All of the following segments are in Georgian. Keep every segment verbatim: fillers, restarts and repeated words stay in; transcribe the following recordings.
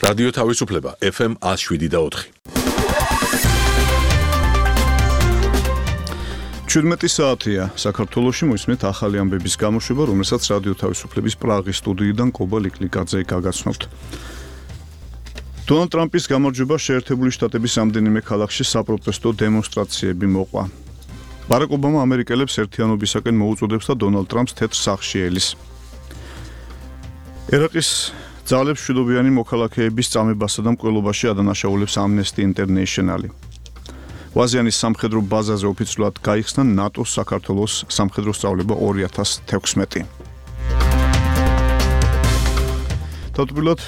რადიო თავისუფლება ეფ ემ one oh seven და four. შვიდმეტი საათია საქართველოში მოისმენთ ახალი ამბების გამოშვება, რომელსაც რადიო თავისუფლების პრაღის სტუდიიდან კობა ლიკლიკაძე გაგაცნობთ. დონალდ ტრამპის გამარჯვება შეერთებული შტატების რამდენიმე ქალაქში საპროტესტო დემონსტრაციები მოყვა. ბარაკ ობამა ამერიკელებს ერთიანობისაკენ მოუწოდებს და დონალდ ტრამპს თეთრ სახლში ელის. ერაყის ძალებს მშვიდობიანი მოქალაქეების წამებასა და მკვლელობაში ადანაშაულებს Amnesty International. ვაზიანის სამხედრო ბაზაზე ოფიციალურად გაიხსნა ნატოს საქართველოს სამხედრო სწავლება two thousand sixteen. თავდაპირველად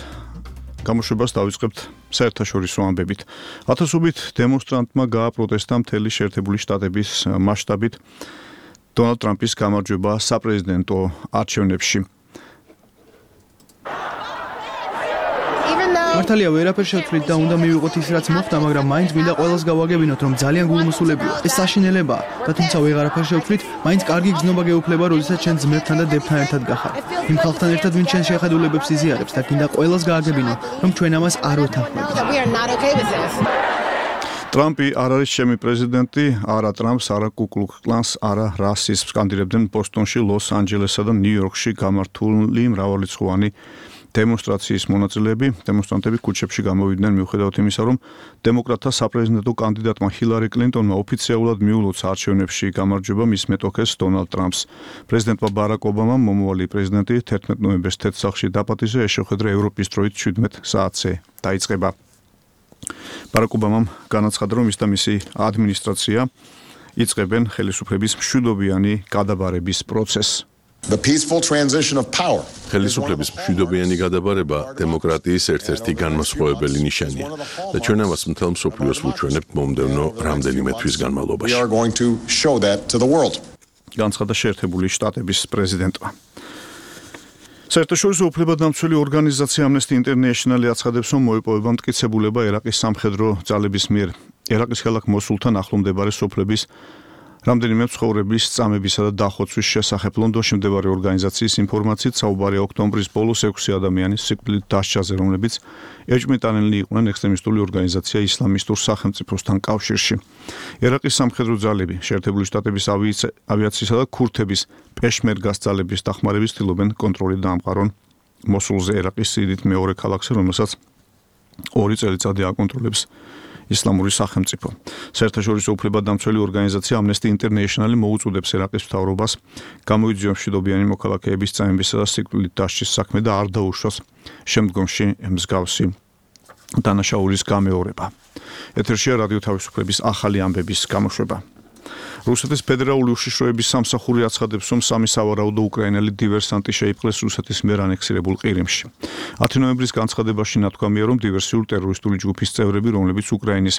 გამოშვებას დავიწყებთ საერთაშორისო ამბებით. ათასობით დემონსტრანტმა გააპროტესტა მთელი შეერთებული შტატების მასშტაბით დონალდ ტრამპის გამარჯვება საპრეზიდენტო არჩევნებში. მართალია ვერაფერ შევცვლით და უნდა მივიღოთ ის რაც მოხდა, მაგრამ მაინც მინდა ყველას გავაგებინოთ, რომ ძალიან გულმოსულებია. ეს საშინელებაა და თუმცა ვეღარაფერ შევცვლით, მაინც კარგი გზნობა გეუფლება, როდესაც ჩვენ ძმებთან და დებთან ერთად გახარ. იმ ხალხთან ერთად ვინც ჩვენ შეხედულებებს იზიარებს და გინდა ყველას გააგებინო, რომ ჩვენ ამას არ ვეთანხმებით. ტრამპი არ არის ჩემი პრეზიდენტი, არა ტრამპს, არა კუ კლუქს კლანს, არა რასიზმს სკანდირებდნენ ბოსტონში, ლოს-ანჯელესსა და ნიუ-იორკში გამართული მრავალრიცხოვანი დემონსტრაციის მონაწილეები. დემონსტრანტები ქუჩებში გამოვიდნენ მიუხედავად იმისა, რომ დემოკრატთა საპრეზიდენტო კანდიდატმა ჰილარი კლინტონმა ოფიციალურად მიულოცა არჩევნებში გამარჯვება მის მეტოქეს დონალდ ტრამპს. პრეზიდენტმა ბარაკ ობამამ მომავალი პრეზიდენტი თერთმეტ ნოემბერს თეთრ სახლში დაპატიჟა, ეს შეხვედრა ევროპის დროით შვიდმეტ საათზე დაიწყება. ბარაკ ობამამ განაცხადა, რომ ის და მისი ადმინისტრაცია იწყებენ ხელისუფლების მშვიდობიანი გადაბარების პროცესს. The peaceful transition of power. ხელისუფლების მშვიდობიანი გადაბარება დემოკრატიის ერთ-ერთი განმასხვავებელი ნიშანია და ჩვენ ამას მთელ მსოფლიოს ვუჩვენებთ მომდევნო რამდენიმე თვის განმავლობაში. We are going to show that to the world. განცხადა შეერთებული შტატების პრეზიდენტმა. საერთაშორისო უფლებადამცველი ორგანიზაცია Amnesty International აცხადებს, რომ მოიპოვება მტკიცებულება ერაყის სამხედრო ძალების მიერ ერაყის ქალაქ მოსულთან ახლომდებარე სოფლების რამდენიმე მცხოვრების წამებისა და დახოცვის შესახებ. ლონდონში მდებარე ორგანიზაციის ინფორმაციით საუბარია ოქტომბრის ბოლოს ექვსი ადამიანის სიკვდილით დასჯაზე, რომლებიც ეჭვმიტანილნი იყვნენ ექსტრემისტული ორგანიზაცია ისლამისტურ სახელმწიფოსთან კავშირში. ერაყის სამხედრო ძალები შეერთებული შტატების ავიაციისა და ქურთების პეშმერგას ძალების დახმარების ცდილობენ კონტროლი დაამყარონ მოსულზე, ერაყის სიდიდით მეორე ქალაქზე, რომელსაც ორი წელიწადი აკონტროლებს ისლამური სახელმწიფო. საერთაშორისო უფლებადამცველი ორგანიზაცია Amnesty International მოუწოდებს ერაყის მთავრობას გამოიძიოს მშვიდობიანი მოქალაქეების წამებისა და სიკვდილით დასჯის საქმე და არ დაუშვას შემდგომში მსგავსი დანაშაულის გამეორება. ეთერშია რადიო თავისუფლების ახალი ამბების გამოშვება. რუსეთის ფედერალური უშიშროების სამსახური აცხადებს, რომ სამი სავარაუდო უკრაინელი დივერსანტი შეიპყრეს რუსეთის მიერ ანექსირებულ ყირიმში. ათი ნოემბრის განცხადებაში ნათქვამია, რომ დივერსიულ ტერორისტული ჯგუფის წევრები, რომლებიც უკრაინის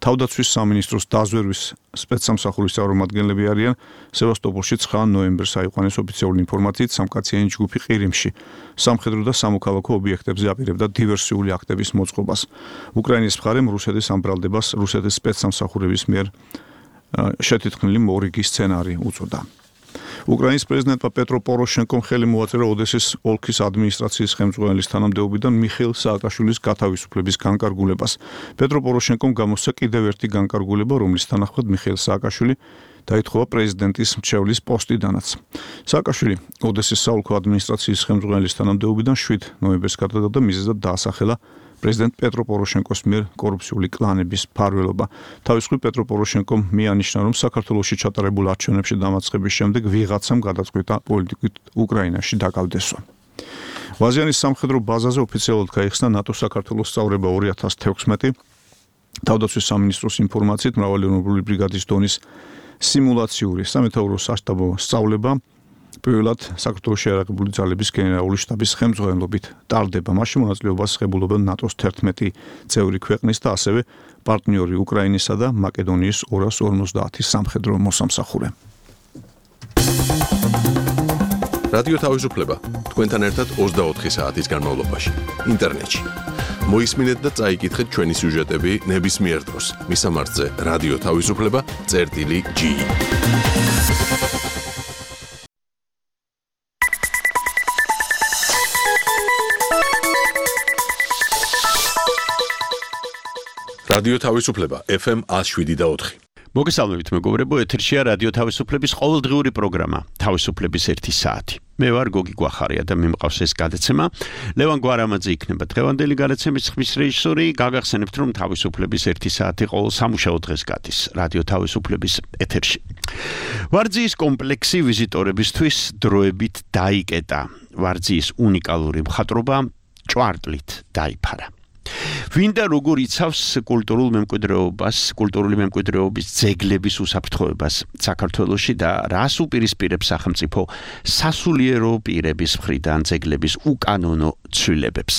თავდაცვის სამინისტროს დაზვერვის სპეცსამსახურის წარმომადგენლები არიან, სევასტოპოლში ცხრა ნოემბერს აიყვანეს ოფიციალური ინფორმაციით სამკაციანი ჯგუფი ყირიმში. სამხედრო და სამოქალაქო ობიექტებზე აპირებდა დივერსიული აქტების მოწყობას. უკრაინის მხარემ რუსეთის ამ ბრალდებას რუსეთის სპეცსამსახურების მიერ შეთითქმული მორიგი სცენარი უწოდა. უკრაინის პრეზიდენტმა პეტრო პოროშენკომ ხელი მოაწერა ოდესის ოლქის ადმინისტრაციის ხელმძღვანელის თანამდებობიდან მიხეილ სააკაშვილის გათავისუფლების განკარგულებას. პეტრო პოროშენკომ გამოსცა კიდევ ერთი განკარგულება, რომლის თანახმად მიხეილ სააკაშვილი დაითხოვა პრეზიდენტის მრჩევლის პოსტიდანაც. სააკაშვილი ოდესის საოლქო ადმინისტრაციის ხელმძღვანელის თანამდებობიდან შვიდ ნოემბერს გადადგა და მიზეზად დაასახელა პრეზიდენტ პეტრო პოროშენკოს მიერ კორუფციული კლანების ფარველობა. თავის მხრივ პეტრო პოროშენკომ მიანიშნა, რომ საქართველოში ჩატარებულ არჩევნებში დამარცხების შემდეგ ვიღაცამ გადაწყვიტა პოლიტიკით უკრაინაში დაკავდესვა. ვაზიანის სამხედრო ბაზაზე ოფიციალურად გაიხსნა ნატოს საქართველოს სწავლება two thousand sixteen. თავდაცვის სამინისტროს ინფორმაციით მრავალი ეროვნული ბრიგადის დონის სიმულაციური სამეთაურო სასტაბო სწავლება პირველად საქართველოში აერებული ძალების გენერალური შტაბის ხელმძღვანელობით ტარდება. მასში მონაწილეობას ღებულობენ ნატოს თერთმეტი წევრი ქვეყნის და ასევე პარტნიორი უკრაინისა და მაკედონიის two hundred fifty სამხედრო მოსამსახურე. რადიო თავისუფლება თქვენთან ერთად ოცდაოთხი საათის განმავლობაში ინტერნეტში. მოისმინეთ და წაიკითხეთ ჩვენი სიუჟეტები ნებისმიერ დროს. მისამართზე რადიო თავისუფლება წერტილი ჯი. რადიო თავისუფლება ეფ ემ one oh seven და four. მოგესალმებით მეგობრებო, ეთერშია რადიო თავისუფლების ყოველდღიური პროგრამა თავისუფლების ერთი საათი. მე ვარ გოგი გვახარია და მე მყავს ეს გადაცემა. ლევან გვარამაძე იქნება დღევანდელი გადაცემის ხმის რეჟისორი. გაგახსენებთ რომ თავისუფლების ერთი საათი ყოველ სამუშაო დღეს გადის რადიო თავისუფლების ეთერში. ვარძიის კომპლექსი ვიზიტორებისთვის დროებით დაიკეტა. ვარძიის უნიკალური მხატვრობა ჭვარტლით დაიფარა. ვინ და როგორ იცავს კულტურულ მემკვიდრეობას, კულტურული მემკვიდრეობის ძეგლების უსაფრთხოებას საქართველოში და რას უპირისპირებს სახელმწიფო სასულიერო პირების მხრიდან ძეგლების უკანონო ცვლილებებს.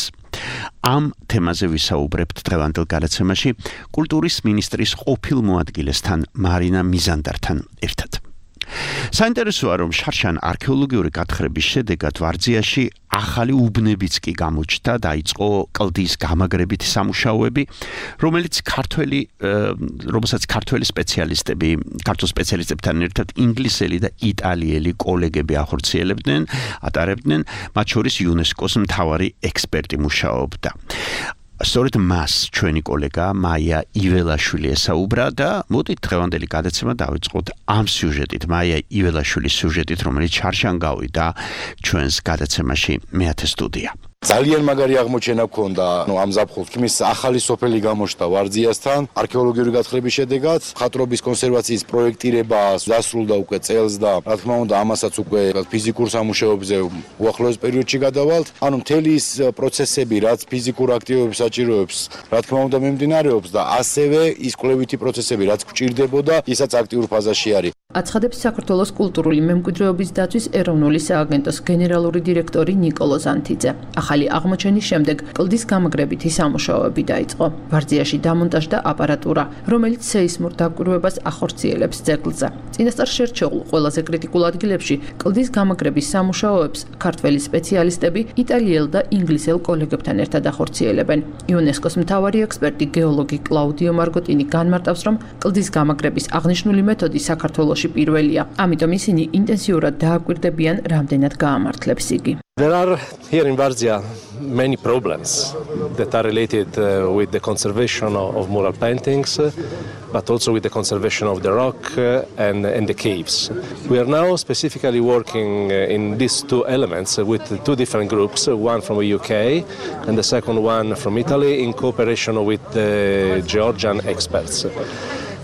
ამ თემაზე ვისაუბრებთ დღევანდელ გადაცემაში კულტურის მინისტრის ყოფილ მოადგილესთან მარინა მიზანდართან ერთად. საინტერესოა რომ შარშან არქეოლოგიური გათხრების შედეგად ვარძიაში ახალი უბნებიც კი გამოჩნდა, დაიწყო კლდის გამაგრებითი სამუშაოები, რომელიც ქართველი, რომელსაც ქართველი სპეციალისტები, ქართულ სპეციალისტებთან ერთად ინგლისელი და იტალიელი კოლეგები ახორციელებდნენ, ატარებდნენ, მათ შორის იუნესკოს მთავარი ექსპერტი მუშაობდა. სწორედ მას ჩვენი კოლეგა მაია იველაშვილი ესაუბრა და მოდით დღევანდელი გადაცემა დავიწყოთ ამ სიუჟეტით, მაია იველაშვილის სიუჟეტით, რომელიც შარშან გავიდა ჩვენს გადაცემაში მეათე სტუდია. ძალიან მაგარი აღმოჩენა გქონდა, ნუ ამ ზაფხულს თქმის ახალი სოფელი გამოჩნდა ვარძიასთან, არქეოლოგიური გათხრების შედეგად, მხატვრობის კონსერვაციის პროექტირება დასრულდა უკვე წელს და რა თქმა უნდა ამასაც უკვე ფიზიკურ სამუშაოებზე უახლოეს პერიოდში გადავალთ. ანუ მთელი ის პროცესები, რაც ფიზიკურ აქტივობებს საჭიროებს, რა თქმა უნდა მიმდინარეობს და ასევე ის კვლევითი პროცესები, რაც გვჭირდებოდა, ისაც აქტიურ ფაზაში არის. აცხადებს საქართველოს კულტურული მემკვიდრეობის დაცვის ეროვნული სააგენტოს გენერალური დირექტორი ნიკოლო ზანთიძე. ახალი აღმოჩენის შემდეგ კლდის გამაგრებითი სამუშაოები დაიწყო. ვარძიაში დამონტაჟდა აპარატურა, რომელიც სეისმურ დაკვირვებას ახორციელებს ძეგლზე. წინასწარ შერჩეულ ყველაზე კრიტიკულ ადგილებში კლდის გამაგრების სამუშაოებს ქართველი სპეციალისტები იტალიელ და ინგლისელ კოლეგებთან ერთად ახორციელებენ. იუნესკოს მთავარი ექსპერტი გეოლოგი კლაუდიო მარგოტინი განმარტავს, რომ კლდის გამაგრების აღნიშნული მეთოდი საქართველოში პირველია. ამიტომ ისინი ინტენსიურად დააკვირდებიან, რამდენად გაამართლებს იგი. There are here in Varzia many problems that are related uh, with the conservation of, of mural paintings, uh, but also with the conservation of the rock uh, and, and the caves. We are now specifically working uh, in these two elements uh, with two different groups, uh, one from the U K and the second one from Italy, in cooperation with the Georgian experts.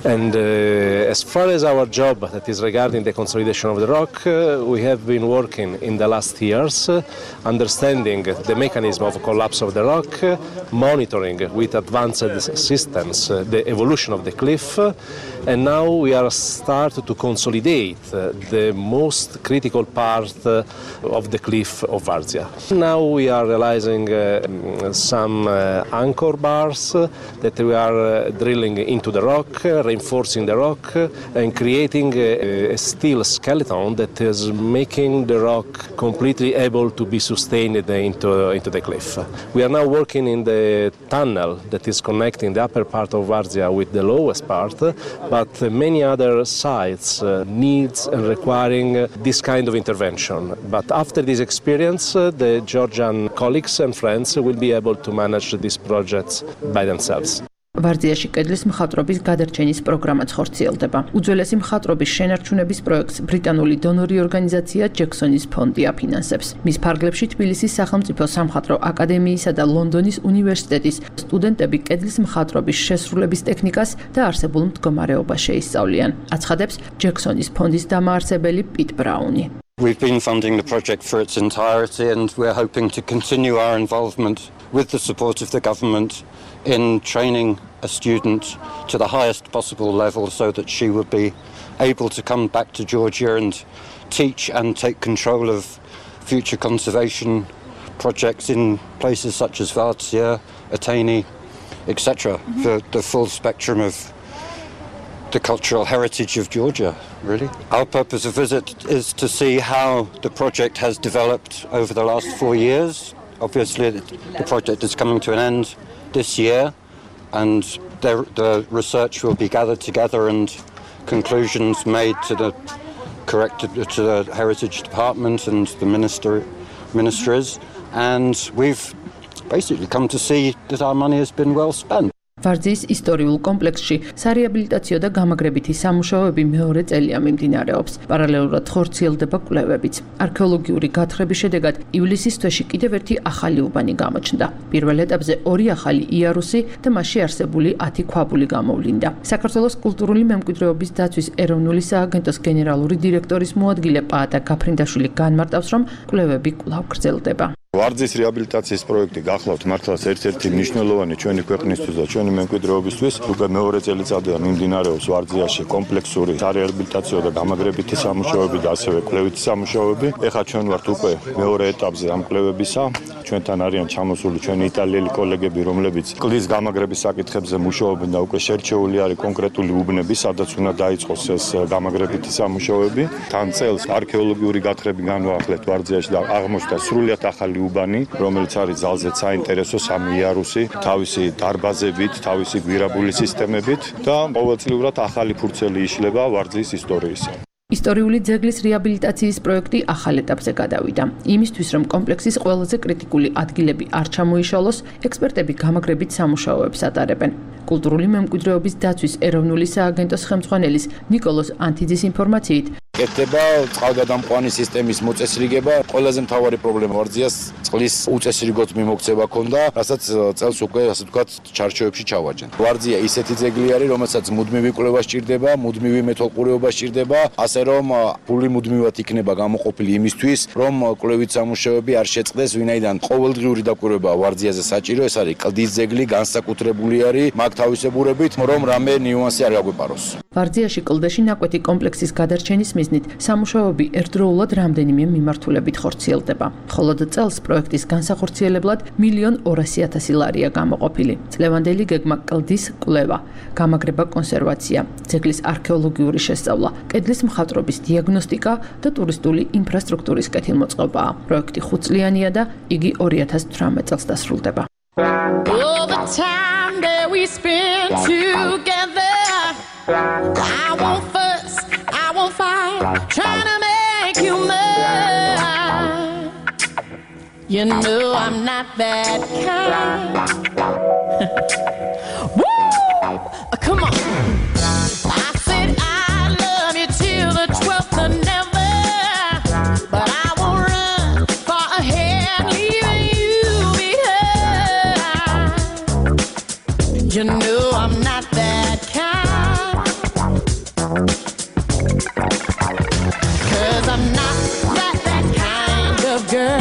And uh, as far as our job that is regarding the consolidation of the rock, uh, we have been working in the last years, uh, understanding the mechanism of collapse of the rock, uh, monitoring with advanced systems uh, the evolution of the cliff, uh, and now we are starting to consolidate uh, the most critical part uh, of the cliff of Varzia. Now we are realizing uh, some uh, anchor bars uh, that we are uh, drilling into the rock, uh, reinforcing the rock uh, and creating a, a steel skeleton that is making the rock completely able to be sustained into, into the cliff. We are now working in the tunnel that is connecting the upper part of Varzia with the lowest part, but many other sites uh, needs and requiring uh, this kind of intervention. But after this experience, uh, the Georgian colleagues and friends will be able to manage these projects by themselves. ვარძიაში კედლის მხატვრობის გადარჩენის პროგრამაც ხორციელდება. უძველესი მხატვრობის შენარჩუნების პროექტს ბრიტანული დონორი ორგანიზაცია ჯექსონის ფონდი აფინანსებს. მის ფარგლებში თბილისის სახელმწიფო სამხატვრო აკადემიისა და ლონდონის უნივერსიტეტის სტუდენტები კედლის მხატვრობის შესრულების ტექნიკას და არსებულ მდგომარეობას შეისწავლიან. აცხადებს ჯექსონის ფონდის დამაარსებელი პიტ ბრაუნი. We've been funding the project for its entirety and we're hoping to continue our involvement with the support of the government in training a student to the highest possible level so that she would be able to come back to Georgia and teach and take control of future conservation projects in places such as Varzia, Atene, et cetera, mm-hmm. for the full spectrum of the cultural heritage of Georgia, really. Our purpose of visit is to see how the project has developed over the last four years. Obviously, the project is coming to an end this year, and the, the research will be gathered together and conclusions made to the correct to the Heritage Department and the minister, ministries, and we've basically come to see that our money has been well spent. ვარძიის ისტორიულ კომპლექსში სარეაბილიტაციო და გამაგრებითი სამუშაოები მეორე წელია მიმდინარეობს. პარალელურად ხორციელდება კვლევებიც. არქეოლოგიური გათხრების შედეგად ივლისის თვეში კიდევ ერთი ახალი უბანი გამოჩნდა. პირველ ეტაპზე ორი ახალი იარუსი და მასში არსებული ათი ქვაბული გამოვლინდა. საქართველოს კულტურული მემკვიდრეობის დაცვის ეროვნული სააგენტოს გენერალური დირექტორის მოადგილე პაატა გაფრინდაშვილი განმარტავს, რომ კვლევები კვლავ გრძელდება. ვარძის რეაბილიტაციის პროექტი გახლავთ მართლაც ერთ-ერთი მნიშვნელოვანი ჩვენი ქვეყნისთვის და ჩვენი მემკვიდრეობისთვის. უკვე მეორე წელიწადია მიმდინარეობს ვარძიაში კომპლექსური სარეაბილიტაციო და გამაგრებითი სამუშაოები და ასევე კვლევითი სამუშაოები. ეხლა ჩვენ ვართ უკვე მეორე ეტაპზე ამ კვლევებისა. ჩვენთან არიან ჩამოსული ჩვენი იტალიელი კოლეგები, რომლებიც კლდის გამაგრების საკითხებზე მუშაობენ და უკვე შერჩეული არის კონკრეტული უბნები, სადაც უნდა დაიწყოს ეს გამაგრებითი სამუშაოები. თან წელს არქეოლოგიური გათხრები განვაახლეთ ვარძიაში და აღმოჩნდა სრულიად ახალი უბანი, რომელიც არის ძალზედ საინტერესო სამი იარუსი, თავისი დარბაზებით, თავისი გვირაბული სისტემებით და ყოველწლიურად ახალი ფურცელი იშლება ვარძის ისტორიისა. ისტორიული ძეგლის რეაბილიტაციის პროექტი ახალ ეტაპზე გადავიდა. იმისთვის, რომ კომპლექსის ყველაზე კრიტიკული ადგილები არ ჩამოიშალოს, ექსპერტები გამაგრებით სამუშაოებს ატარებენ. კულტურული მემკვიდრეობის დაცვის ეროვნული სააგენტოს ხელმძღვანელის ნიკოლოზ ანთიძის ინფორმაციით, კეთდება წყალგადამყვანი სისტემის მოწესრიგება. ყველაზე მთავარი პრობლემა ვარძიას წყლის უწესრიგოდ მიმოქცევა ქონდა, რასაც წელს უკვე ასე ვთქვათ ჩარჩოებში ჩავაჯენ. ვარძია ისეთი ძეგლი არის, რომელსაც მუდმივი კვლევა სჭირდება, მუდმივი მეთვალყურეობა სჭირდება, ასე რომ ფული მუდმივად იქნება გამოყოფილი იმისთვის, რომ კვლევით სამუშაოები არ შეწყდეს, ვინაიდან ყოველდღიური დაკვირვება ვარძიაზე საჭირო, ეს არის კლდის ძეგლი, განსაკუთრებული არის მაგ თავისებურებით, რომ რამე ნიუანსი არ გაგვეპაროს. ვარძიაში კლდეში ნაკვეთი კომპლექსის გადარჩენის მიზნით სამუშაოები ერთდროულად რამდენიმე მიმართულებით ხორციელდება. მხოლოდ წელს პროექტის განსახორციელებლად მილიონ ორასი ათასი ლარია გამოყოფილი. წლევანდელი გეგმა კლდის კვლევა, გამაგრება კონსერვაცია, ძეგლის არქეოლოგიური შესწავლა, კედლის მხატვრობის დიაგნოსტიკა და ტურისტული ინფრასტრუქტურის კეთილმოწყობაა. პროექტი ხუთწლიანია და იგი ორი ათას თვრამეტ წელს დასრულდება. All the time that we spend together, I won't fuss, I won't fight, trying to make you mine. You know I'm not that kind. Woo! Come on. I said I love you till the twelfth of never, but I won't run far ahead, leaving you behind. You know I'm not that kind. 'Cause I'm not that, that kind of girl.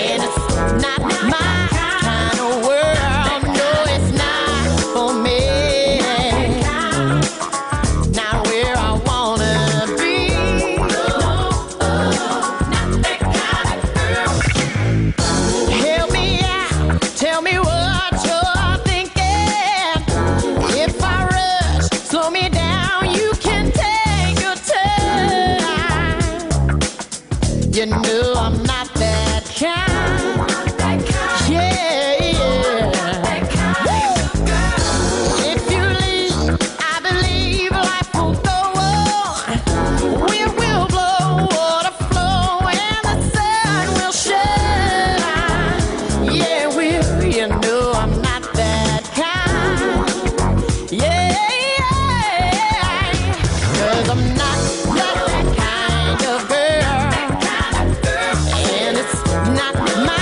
And it's not my kind of world. No, it's not for me. Not where I wanna be. Not that kind of girl. Help me out, tell me what you're thinking. If I rush, slow me down, you can take your time. You know I'm not that kind. Yeah, yeah. If you leave, I believe life will go on. Wind will blow, water flow, and the sun will shine. Yeah, will you know I'm not that kind? Yeah, yeah. 'Cause I'm not that, that kind of girl. And it's not my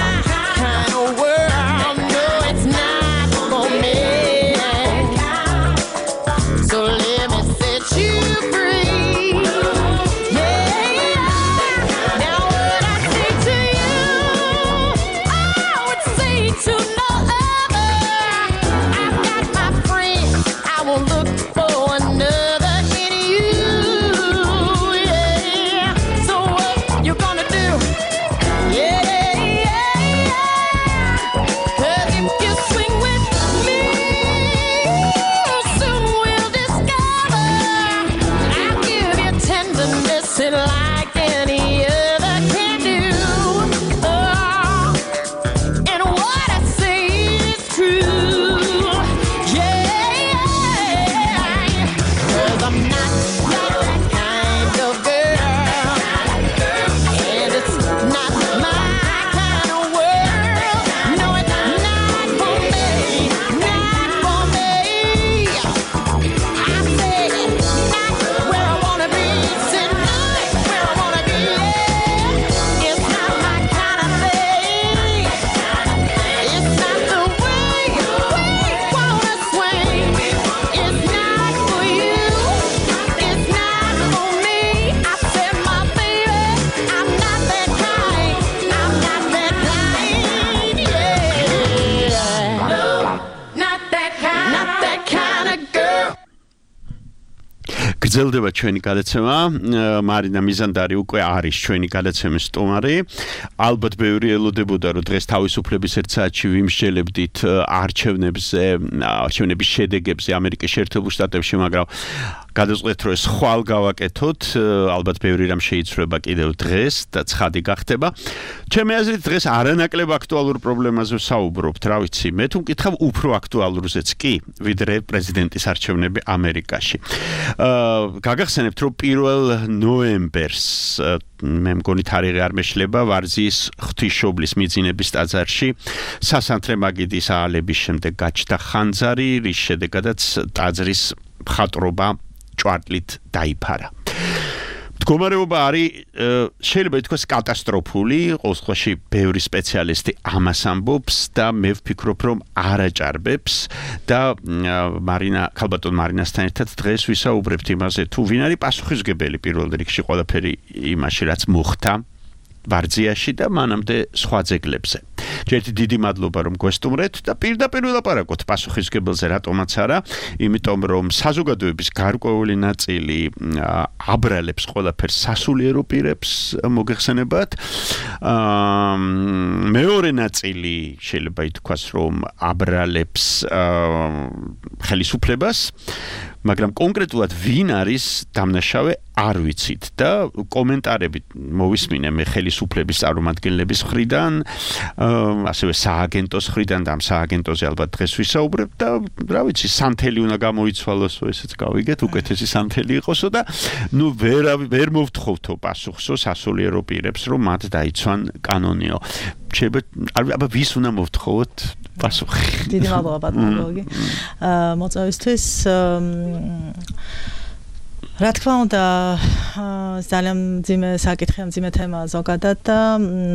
გრძელდება ჩვენი გადაცემა. მარინა მიზანდარი უკვე არის ჩვენი გადაცემის სტუმარი. ალბათ ბევრი ელოდებოდა, რომ დღეს თავისუფლების ერთ საათში ვიმსჯელებდით არჩევნებზე, არჩევნების შედეგებზე ამერიკის შეერთებულ შტატებში, მაგრამ გადავწყვეტ, რომ ეს ხვალ გავაკეთოთ, ალბათ ბევრი რამ შეიცვლება კიდევ დღეს და ცხადი გახდება. ჩემი აზრით დღეს არანაკლებ აქტუალურ პრობლემაზე ვსაუბრობთ, რა ვიცი, მე თუ მკითხავ უფრო აქტუალურზეც კი, ვიდრე პრეზიდენტის არჩევნები ამერიკაში. აა გაგახსენებთ, რომ პირველ ნოემბერს მე მგონი თარიღი არ მეშლება, ვარძიის ღვთისმშობლის მიძინების ტაძარში სასანთლე მაგიდის აალების შემდეგ გაჩნდა ხანძარი, რის შედეგადაც ტაძრის მხატვრობა ჭვარტლით დაიფარა. მდგომარეობა არის შეიძლება ითქვას კატასტროფული, ყოველ შემთხვევაში ბევრი სპეციალისტი ამას ამბობს და მე ვფიქრობ, რომ არაჭარბებს და მარინა ქალბატონ მარინასთან ერთად დღეს ვისაუბრებთ იმაზე, თუ ვინ არის პასუხისმგებელი პირველ რიგში ყველაფერი იმაში, რაც მოხდა ვარძიაში და მანამდე სხვა ძეგლებზე. ჯერჯერობით დიდი მადლობა რომ გვესტუმრეთ და პირდაპირ ვილაპარაკოთ პასუხისმგებელზე, რატომაც არა, იმიტომ რომ საზოგადოების გარკვეული ნაწილი აბრალებს ყველაფერს სასულიერო პირებს მოგეხსენებათ. მეორე ნაწილი შეიძლება ითქვას, რომ აბრალებს ხელისუფლებას, მაგრამ კონკრეტულად ვინ არის დამნაშავე არ ვიცით და კომენტარები მოვისმინე მე ხელისუფლების წარმომადგენლების მხრიდან, ასევე სააგენტოს მხრიდან და ამ სააგენტოზე ალბათ დღეს ვისაუბრებ და რა ვიცი, სანთელი უნდა გამოიცვალოსო, ესეც გავიგეთ, უკეთესი სანთელი იყოსო და ნუ ვერ ვერ მოვთხოვთო პასუხსო სასულიერო პირებს, რომ მათ დაიცვან კანონიო. შეიძლება აბა ვის უნდა მოვთხოვოთ პასუხი? დიდი მადლობა ბატონო გოგი. აა მოწვევისთვის რა თქმა უნდა ძალიან მძიმე საკითხია, მძიმე თემა ზოგადად და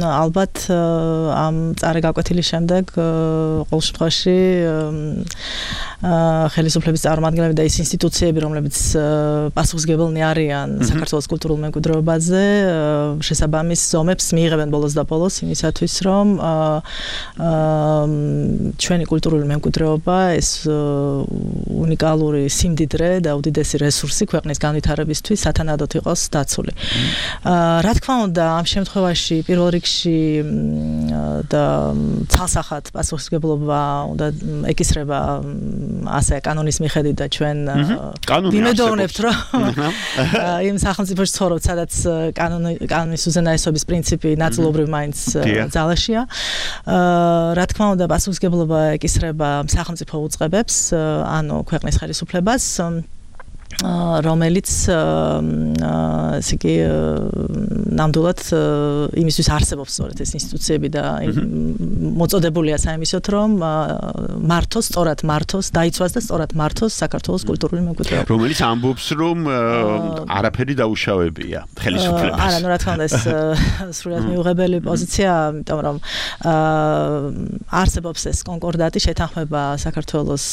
ალბათ ამ წარე გაკვეთილის შემდეგ ყოველ შემთხვევაში ხელისუფლების წარმომადგენლები და ის ინსტიტუციები, რომლებიც პასუხისმგებელნი არიან საქართველოს კულტურულ მემკვიდრეობაზე, შესაბამის ზომებს მიიღებენ ბოლოს და ბოლოს იმისათვის, რომ ჩვენი კულტურული მემკვიდრეობა, ეს უნიკალური სიმდიდრე და უდიდესი რესურსი ქვეყნის განვითარებისთვის სათანადოდ იყოს დაცული. რა თქმა უნდა, ამ შემთხვევაში პირველ რიგში და ცალსახად პასუხისმგებლობა უნდა ეკისრება ასე კანონის მიხედვით და ჩვენ ვიმედოვნებთ, რომ იმ სახელმწიფოში ცხოვრობთ, სადაც კანონის უზენაესობის პრინციპი ნაწილობრივ მაინც ძალაშია. რა თქმა უნდა, პასუხისმგებლობა ეკისრება სახელმწიფო უწყებებს, ანუ ქვეყნის ხელისუფლებას, რომელიც ესე იგი ნამდვილად იმისთვის არსებობს სწორედ ეს ინსტიტუციები და მოწოდებულია საიმისოთ, რომ მართოს, სწორად მართოს, დაიცვას და სწორად მართოს საქართველოს კულტურული მემკვიდრეობა. რომელიც ამბობს, რომ არაფერი დაუშავებია ხელისუფლებას. არა, ნუ რა თქმა უნდა, ეს სრულად მიუღებელი პოზიცია, იმიტომ რომ არსებობს ეს კონკორდატი, შეთანხმება საქართველოს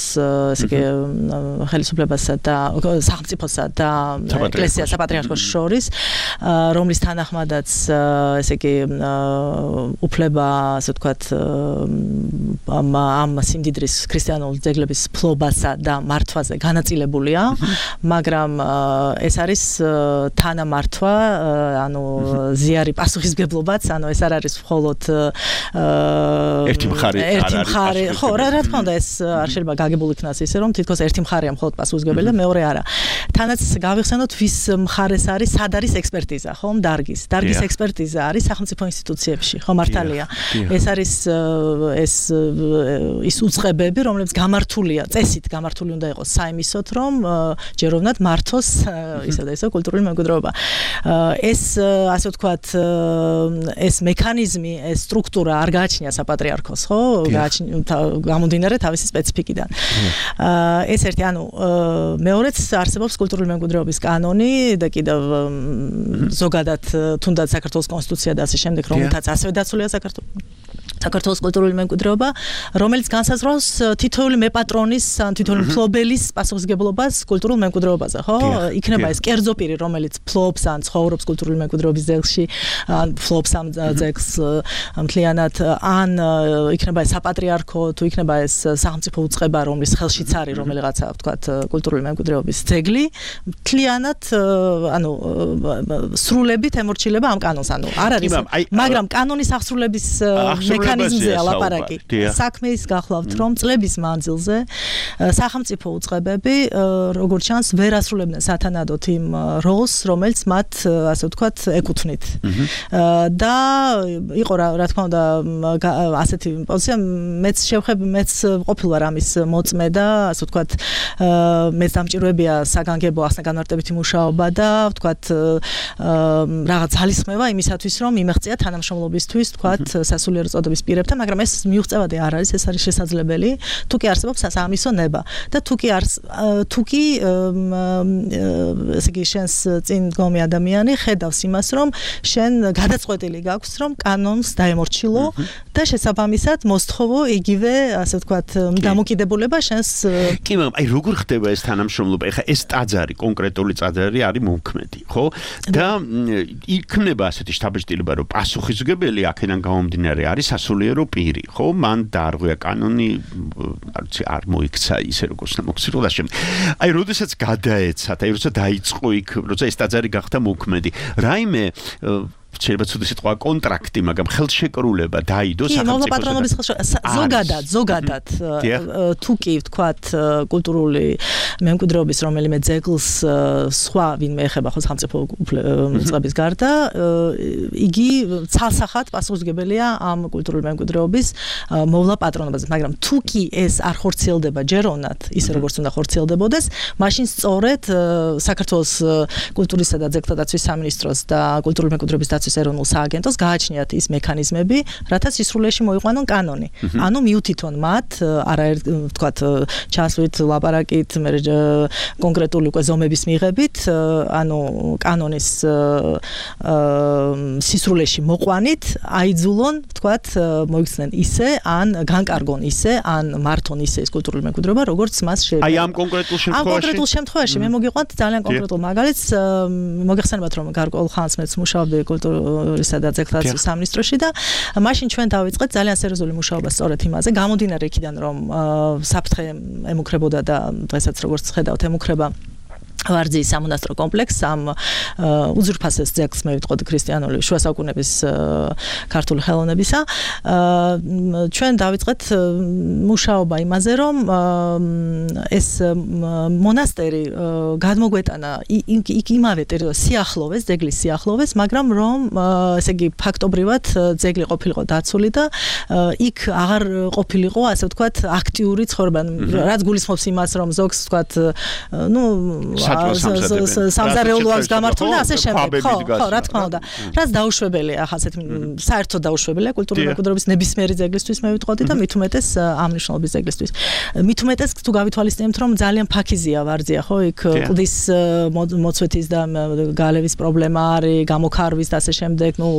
ესე იგი ხელისუფლებასა და სახელმწიფოსა და ეკლესიას საპატრიარქოს შორის, რომლის თანახმადაც ესე იგი უფლება, ასე ვთქვათ, ამ სიმდიდრის ქრისტიანული ძეგლების ფლობასა და მართვაზე განაწილებულია, მაგრამ ეს არის თანამართვა, ანუ ზიარი პასუხისმგებლობაც, ანუ ეს არ არის მხოლოდ ერთი მხარე ერთი მხარე, ხო, რა თქმა უნდა, ეს არ შეიძლება გაგებული იქნას ისე, რომ თითქოს ერთი მხარეა მხოლოდ პასუხისმგებელი და მეორე არა. თანაც გავიხსენოთ, ვის მხარეს არის, სად არის ექსპერტიზა, ხომ, დარგის. დარგის ექსპერტიზა არის სახელმწიფო ინსტიტუციებში, ხო, მართალია. ეს არის ეს ის უწყებები, რომლებიც გამართულია, წესით გამართული უნდა იყოს საიმისოთ, რომ ჯეროვნად მართოს ისა და ისა კულტურული მემკვიდრეობა. ეს ასე ვთქვათ, ეს მექანიზმი, ეს სტრუქტურა არ გააჩნია საპატრიარქოს, ხო? გამომდინარე თავისი სპეციფიკიდან. ეს ერთი, ანუ მეორეც არსებობს კულტურული მემკვიდრეობის კანონი და კიდევ ზოგადად თუნდაც საქართველოს კონსტიტუცია და ასე შემდეგ, რომელთაც ასევე დაცულია საქართველოს საქართველოს კულტურული მემკვიდრეობა, რომელიც განსაზღვრავს თითოეული მეპატრონის, თითოეული მფლობელის პასუხისმგებლობას კულტურულ მემკვიდრეობაზე, ხო? იქნება ეს კერძო პირი, რომელიც ფლობს ან ცხოვრობს კულტურული მემკვიდრეობის ძეგლში, ან ფლობს ამ ძეგლს მთლიანად, ან იქნება ეს საპატრიარქო, თუ იქნება ეს სახელმწიფო უწყება, რომლის ხელშიც არის რომელიღაცა, ვთქვათ, კულტურული მემკვიდრეობის ძეგლი, მთლიანად, ანუ სრულებით ემორჩილება ამ კანონს, ანუ არ არის, მაგრამ კანონის აღსრულების მექანიზმზე ალაპარაკი. საქმის გახლავთ, რომ წლების მანძილზე სახელმწიფო უწყებები, როგორც ჩანს, ვერ ასრულებდნენ სათანადოდ იმ როლს, რომელიც მათ, ასე ვთქვათ, ეკუთვნით. და იყო რა თქმა უნდა ასეთი პოზიცია, მეც შევხები, მეც ყოფილ ვარ ამის მოწმე და, ასე ვთქვათ, მეც დამჭირვებია საგანგებო ახსნა-განმარტებითი მუშაობა და, ვთქვათ, რაღაც ძალისხმევა იმისათვის, რომ იმეღწია თანამშრომლობისთვის, ვთქვათ, სასულიერო წოდების პირებთან, მაგრამ ეს მიუღწევადი არ არის, ეს არის შესაძლებელი, თუ კი არსებობს სასამისო ნება და თუ კი არს თუ კი ესე იგი შენს წინ დგომი ადამიანი ხედავს იმას, რომ შენ გადაწყვეტილი გაქვს, რომ კანონს დაემორჩილო და შესაბამისად მოსთხოვო იგივე, ასე ვთქვათ, დამოკიდებულება შენს კი, მაგრამ აი როგორ ხდება ეს თანამშრომლობა? ეხლა ეს ტაძარი, კონკრეტული ტაძარი არის მომქმედი, ხო? და იქნება ასეთი შთაბეჭდილება, რომ პასუხისმგებელი აქედან გამომდინარე არის სასულიერო პირი, ხო? მან დაარღვია კანონი, არ ვიცი, არ მოიქცა ისე როგორც მოგცილო და შემდეგ. აი, როდესაც გადაეცათ, აი, როცა დაიწყო იქ, როცა ეს ტაძარი გახდა მოქმედი, რაიმე შეიძლება ცუდი სიტყვა კონტრაქტი, მაგრამ ხელშეკრულება დაიდო სახელმწიფოს. კი, მოვლა-პატრონობის ხელშეკრულება. ზოგადად, ზოგადად თუ კი ვთქვათ კულტურული მემკვიდრეობის რომელიმე ძეგლს სხვა ვინმე ეხება ხო სახელმწიფო უწყების გარდა, იგი ცალსახად პასუხისმგებელია ამ კულტურული მემკვიდრეობის მოვლა-პატრონობაზე, მაგრამ თუ კი ეს არ ხორციელდება ჯეროვნად, ისე როგორც უნდა ხორციელდებოდეს, მაშინ სწორედ საქართველოს კულტურისა და ძეგლთა დაცვის სამინისტროს და კულტურული მემკვიდრეობის დაცვის ეროვნულ სააგენტოს გააჩნიათ ის მექანიზმები, რათა სისრულეში მოიყვანონ კანონი. ანუ მიუთითონ მათ, არაერთ ვთქვათ, ჩასვლით, ლაპარაკით, მე კონკრეტული უკვე ზომების მიღებით, ანუ კანონის სისრულეში მოყვანით, აიძულონ, ვთქვათ, მოიქცნენ ისე, ან განკარგონ ისე, ან მართონ ისე ეს კულტურული მემკვიდრეობა, როგორც მას შეიძლება. აი ამ კონკრეტულ შემთხვევაში? ამ კონკრეტულ შემთხვევაში მე მოგიყვანთ ძალიან კონკრეტულ მაგალითს, მოგეხსენებათ, რომ გარკვეულ ხანს მეც მუშაობდი კულტურისა და ძეგლთა დაცვის სამინისტროში და მაშინ ჩვენ დავიწყეთ ძალიან სერიოზული მუშაობა სწორედ იმაზე, გამომდინარე იქიდან, რომ საფრთხე ემუქრებოდა და დღესაც როგორც ხედავთ ემუქრება ვარძიის სამონასტრო კომპლექსს, ამ უძვირფასეს ძეგლს მე ვიტყოდი ქრისტიანული შუა საუკუნეების ქართული ხელოვნებისა. ჩვენ დავიწყეთ მუშაობა იმაზე, რომ ეს მონასტერი გადმოგვეტანა იქ იმავე სიახლოვეს, ძეგლის სიახლოვეს, მაგრამ რომ ესე იგი ფაქტობრივად ძეგლი ყოფილიყო დაცული და იქ აღარ ყოფილიყო, ასე ვთქვათ, აქტიური ცხოვრება, რაც გულისხმობს იმას, რომ ზოგს ვთქვათ, ნუ სამზარეულო აქვს გამართული და ასე შემდეგ. ხო, ხო, რა თქმა უნდა. რაც დაუშვებელია, ახლა ასეთ საერთოდ დაუშვებელია კულტურული მემკვიდრეობის ნებისმიერი ძეგლისთვის მე ვიტყოდი და მით უმეტეს ამ მნიშვნელობის ძეგლისთვის. მით უმეტეს თუ გავითვალისწინებთ, რომ ძალიან ფაქიზია ვარძია, ხო, იქ კლდის მოწვეთის და გალევის პრობლემა არის, გამოქარვის და ასე შემდეგ, ნუ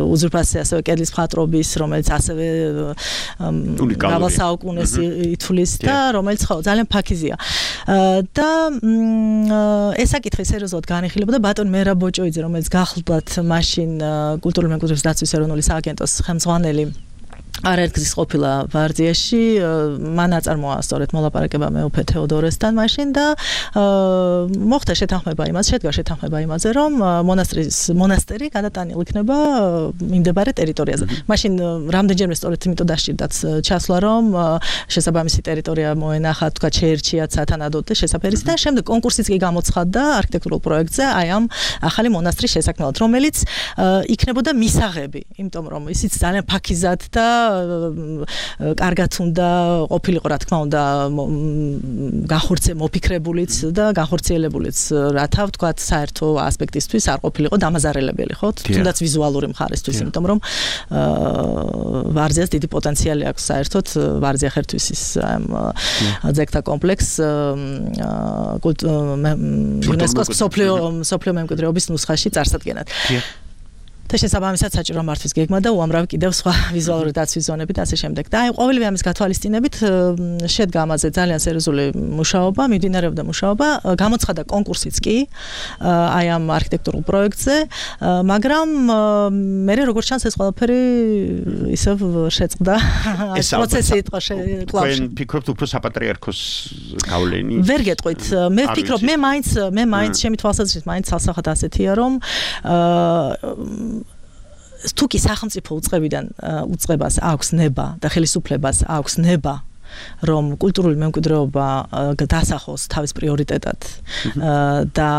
უძვირფასი ასევე კედლის მხატვრობის, რომელიც ასევე მრავალ საუკუნეს ითვლის და რომელიც ხო, ძალიან ფაქიზია. და ეს საკითხი სერიოზულად განიხილებოდა ბატონ მერაბ ბოჭოიძე, რომელიც გახლდათ მაშინ კულტურული მემკვიდრეობის დაცვის ეროვნული სააგენტოს ხელმძღვანელი არაერთგზის ყოფილა ვარძიაში, მან აწარმოა სწორედ მოლაპარაკება მეუფე თეოდორესთან მაშინ და მოხდა შეთანხმება იმაზე, შედგა შეთანხმება იმაზე, რომ მონასტრის მონასტერი გადატანილ იქნება მიმდებარე ტერიტორიაზე. მაშინ რამდენჯერმე სწორედ იმიტომ დასჭირდათ ჩასვლა, რომ შესაბამისი ტერიტორია მოენახა, თქვა შეერჩიათ სათანადოდ და შესაფერისი და შემდეგ კონკურსიც კი გამოცხადდა არქიტექტურულ პროექტზე აი ამ ახალი მონასტრის შესაქმნელად, რომელიც იქნებოდა მისაღები, იმიტომ რომ ისიც ძალიან ფაქიზად და კარგად უნდა ყოფილიყო, რა თქმა უნდა, განხორციე მოფიქრებულიც და განხორციელებულიც, რათა ვთქვათ, საერთო ასპექტისთვის არ ყოფილიყო დამაზარელებელი, ხო? თუნდაც ვიზუალური მხარისთვის, იმიტომ რომ ვარძიას დიდი პოტენციალი აქვს საერთოდ ვარძია ხერთვის ის ძეგლთა კომპლექს იუნესკოს მსოფლიო მსოფლიო მემკვიდრეობის ნუსხაში წარსადგენად. და შესაბამისად საჭირო მართვის გეგმა და უამრავი კიდევ სხვა ვიზუალური დაცვის ზონები და ასე შემდეგ. და აი ყოველივე ამის გათვალისწინებით შედგა ამაზე ძალიან სერიოზული მუშაობა, მიმდინარეობდა მუშაობა, გამოცხადა კონკურსიც კი აი ამ არქიტექტურულ პროექტზე, მაგრამ მე როგორც ჩანს ეს ყველაფერი ისევ შეწყდა. ეს პროცესი იყო კლავში. თქვენ ფიქრობთ უფრო საპატრიარქოს გავლენი? ვერ გეტყვით. მე ვფიქრობ, მე მაინც მე მაინც ჩემი თვალსაზრისით მაინც ცალსახად ასეთია, რომ თუ კი სახელმწიფო უწყებიდან უწყებას აქვს ნება და ხელისუფლებას აქვს ნება რომ კულტურული მემკვიდრეობა დასახოს თავის პრიორიტეტად და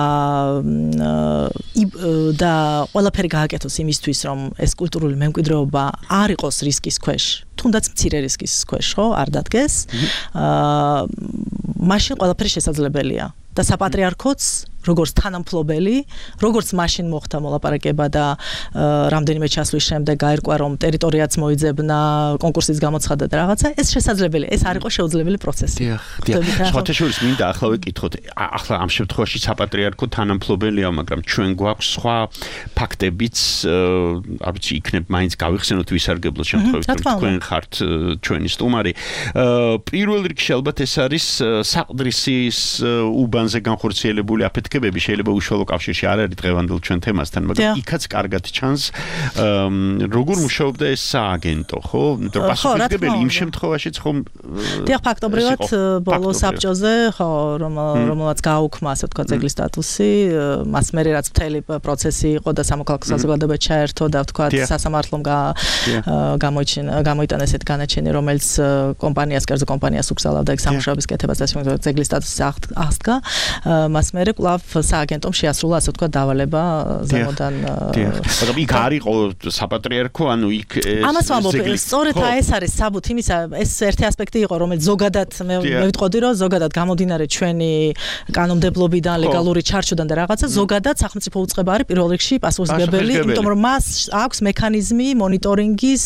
და ყველაფერი გააკეთოს იმისთვის რომ ეს კულტურული მემკვიდრეობა არ იყოს რისკის ქვეშ თუნდაც მცირე რისკის ქვეშ ხო არ დადგეს მაშინ ყველაფერი შესაძლებელია და საპატრიარქოც როგორც თანამფლობელი, როგორც მაშინ მოხდა მოლაპარაკება და რამდენიმე ჩასვლის შემდეგ გაირკვა რომ ტერიტორიაც მოიძებნა, კონკურსის გამოცხადა და რაღაცა, ეს შესაძლებელია, ეს არ იყო შეუძლებელი პროცესი. დიახ, დიახ. სხვათა შორის მინდა ახლა ვეკითხოთ, ახლა ამ შემთხვევაში საპატრიარქო თანამფლობელია, მაგრამ ჩვენ გვაქვს სხვა ფაქტებიც, არ ვიცი, იქნებ მაინც გავიხსენოთ ვისარგებლოთ შემთხვევით, რომ თქვენ ხართ ჩვენი სტუმარი. პირველ რიგში ალბათ ეს არის საყდრისის უბანზე განხორციელებული აფეთქება შეიძლება უშუალო კავშირში არ არის დღევანდელ ჩვენ თემასთან, მაგრამ იქაც კარგად ჩანს როგორ მუშაობდა ეს სააგენტო, ხო? იმიტომ პასუხისმგებელი იმ შემთხვევაშიც ხომ დიახ, ფაქტობრივად ბოლო საბჭოზე, ხო, რომელმაც გააუქმა, ასე ვთქვათ, ძეგლის სტატუსი, მას მერე რაც მთელი პროცესი იყო და სამოქალაქო საზოგადოება ჩაერთო და ვთქვათ, სასამართლომ გამოიჩინა, გამოიტანა ესეთ განაჩენი, რომელიც კომპანიას, კერძო კომპანიას უკრძალავდა ეგ სამუშაოების კეთებას და ძეგლის სტატუსის აღდგა, მას მერე კვლავ სააგენტომ შეასრულა ასე ვთქვათ დავალება ზემოდან. მაგრამ იქ არ იყო საპატრიარქო, ანუ იქ ამას ვამბობ, სწორედ ეს არის საბუთი იმისა, ეს ერთი ასპექტი იყო, რომელიც ზოგადად მე ვიტყოდი, რომ ზოგადად გამომდინარე ჩვენი კანონმდებლობიდან, ლეგალური ჩარჩოდან და რაღაცა, ზოგადად სახელმწიფო უწყება არის პირველ რიგში პასუხისმგებელი, იმიტომ რომ მას აქვს მექანიზმი მონიტორინგის,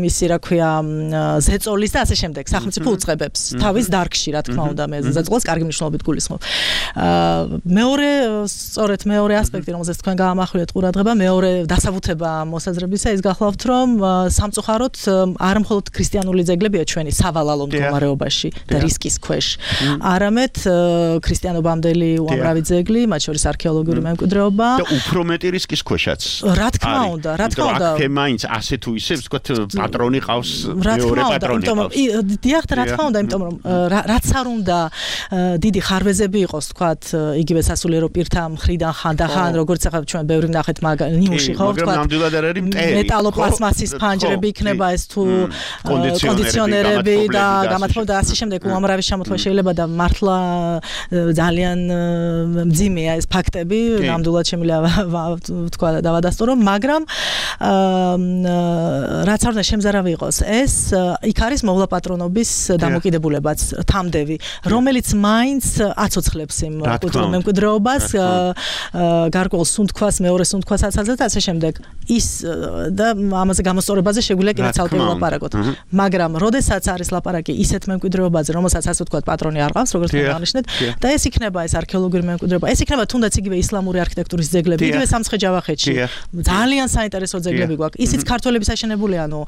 მისი რა ქვია, ზეწოლის და ასე შემდეგ სახელმწიფო უწყებებს თავის დარგში, რა თქმა უნდა, მე ზეწოლს კარგი მნიშვნელობით გულისხმობ. მეორე სწორედ მეორე ასპექტი რომელზეც თქვენ გაამახვილეთ ყურადღება მეორე დასაბუთება მოსაზრებისა ის გახლავთ რომ სამწუხაროდ არ მხოლოდ ქრისტიანული ძეგლებია ჩვენი სავალალო მდგომარეობაში და რისკის ქვეშ არამედ ქრისტიანობამდელი უამრავი ძეგლი მათ შორის არქეოლოგიური მემკვიდრეობა და უფრო მეტი რისკის ქვეშაც რა თქმა უნდა რა თქმა უნდა აქ მაინც ასე თუ ისე ვთქვათ პატრონი ყავს მეორე პატრონი ყავს დიახ რა თქმა უნდა იმიტომ რომ რაც არ უნდა დიდი ხარვეზები იყოს ვთქვათ იგივე სასულიერო პირთა მხრიდან ხანდახან როგორც ახლა ჩვენ ბევრი ვნახეთ ნიმუში ხო ვთქვათ მეტალოპლასმასის ფანჯრები იქნება ეს თუ კონდიციონერები და გამათბობა და ასე შემდეგ უამრავი შემთხვევა შეიძლება და მართლა ძალიან მძიმეა ეს ფაქტები ნამდვილად შემიძლია ვთქვა და დავადასტურო მაგრამ რაც არ უნდა შემზარავი იყოს ეს იქ არის მოვლა პატრონობის დამოკიდებულებაც თამდევი რომელიც მაინც აცოცხლებს იმ კულტურულ მემკვიდრეობას გარკვეულ სუნთქვას მეორე სუნთქვას აცალებს და ასე შემდეგ ის და ამაზე გამოსწორებაზე შეგვიძლია კიდევ ცალკე ვლაპარაკოთ მაგრამ როდესაც არის ლაპარაკი ისეთ მემკვიდრეობაზე რომელსაც ასე ვთქვათ პატრონი არ ყავს როგორც დანიშნეთ და ეს იქნება ეს არქეოლოგიური მემკვიდრეობა ეს იქნება თუნდაც იგივე ისლამური არქიტექტურის ძეგლები იგივე სამცხე-ჯავახეთში ძალიან საინტერესო ძეგლები გვაქვს ისიც ქართველების აშენებული ანუ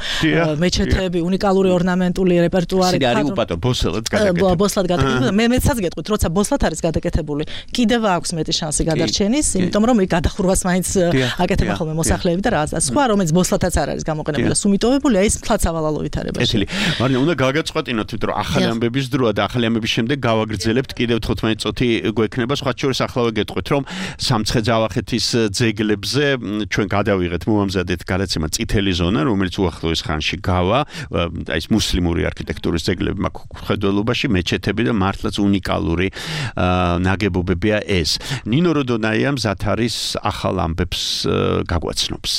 მეჩეთები უნიკალური ორნამენტული რეპერტუარი არის უპატო ბოსლად გადაკეთებული ბოსლად გადაკეთებული მე მეცაც გეტყვით როცა ბოსლად არის გადაკეთებული კიდევ აქვს მეტი შანსი გადარჩენის იმიტომ რომ იქ გადახურვას მაინც აკეთება ხოლმე მოსახლეები და რაღაცა სხვა რომელიც ბოსლათაც არ არის გამოყენებული და სუმიტოვებულია ის თლაც ავალალო ვითარებაში ეთილი მარინა უნდა გაგაწყვეტინოთ იმიტომ რომ ახალი ამბების დროა და ახალი ამბების შემდეგ გავაგრძელებთ კიდევ თხუთმეტი წუთი გვექნება სხვა შორის ახლა ვეგეტყვით რომ სამცხე-ჯავახეთის ძეგლებზე ჩვენ გადავიღეთ მოამზადეთ გადაცემა წითელი ზონა რომელიც უახლოეს ხანში გავა აი ეს მუსლიმური არქიტექტურის ძეგლები მაქვს ხედველობაში მეჩეთები და მართლაც უნიკალური ნაგებობებია ეს ნინო როდონაია მზად არის ახალ ამბებს გაგვაცნობს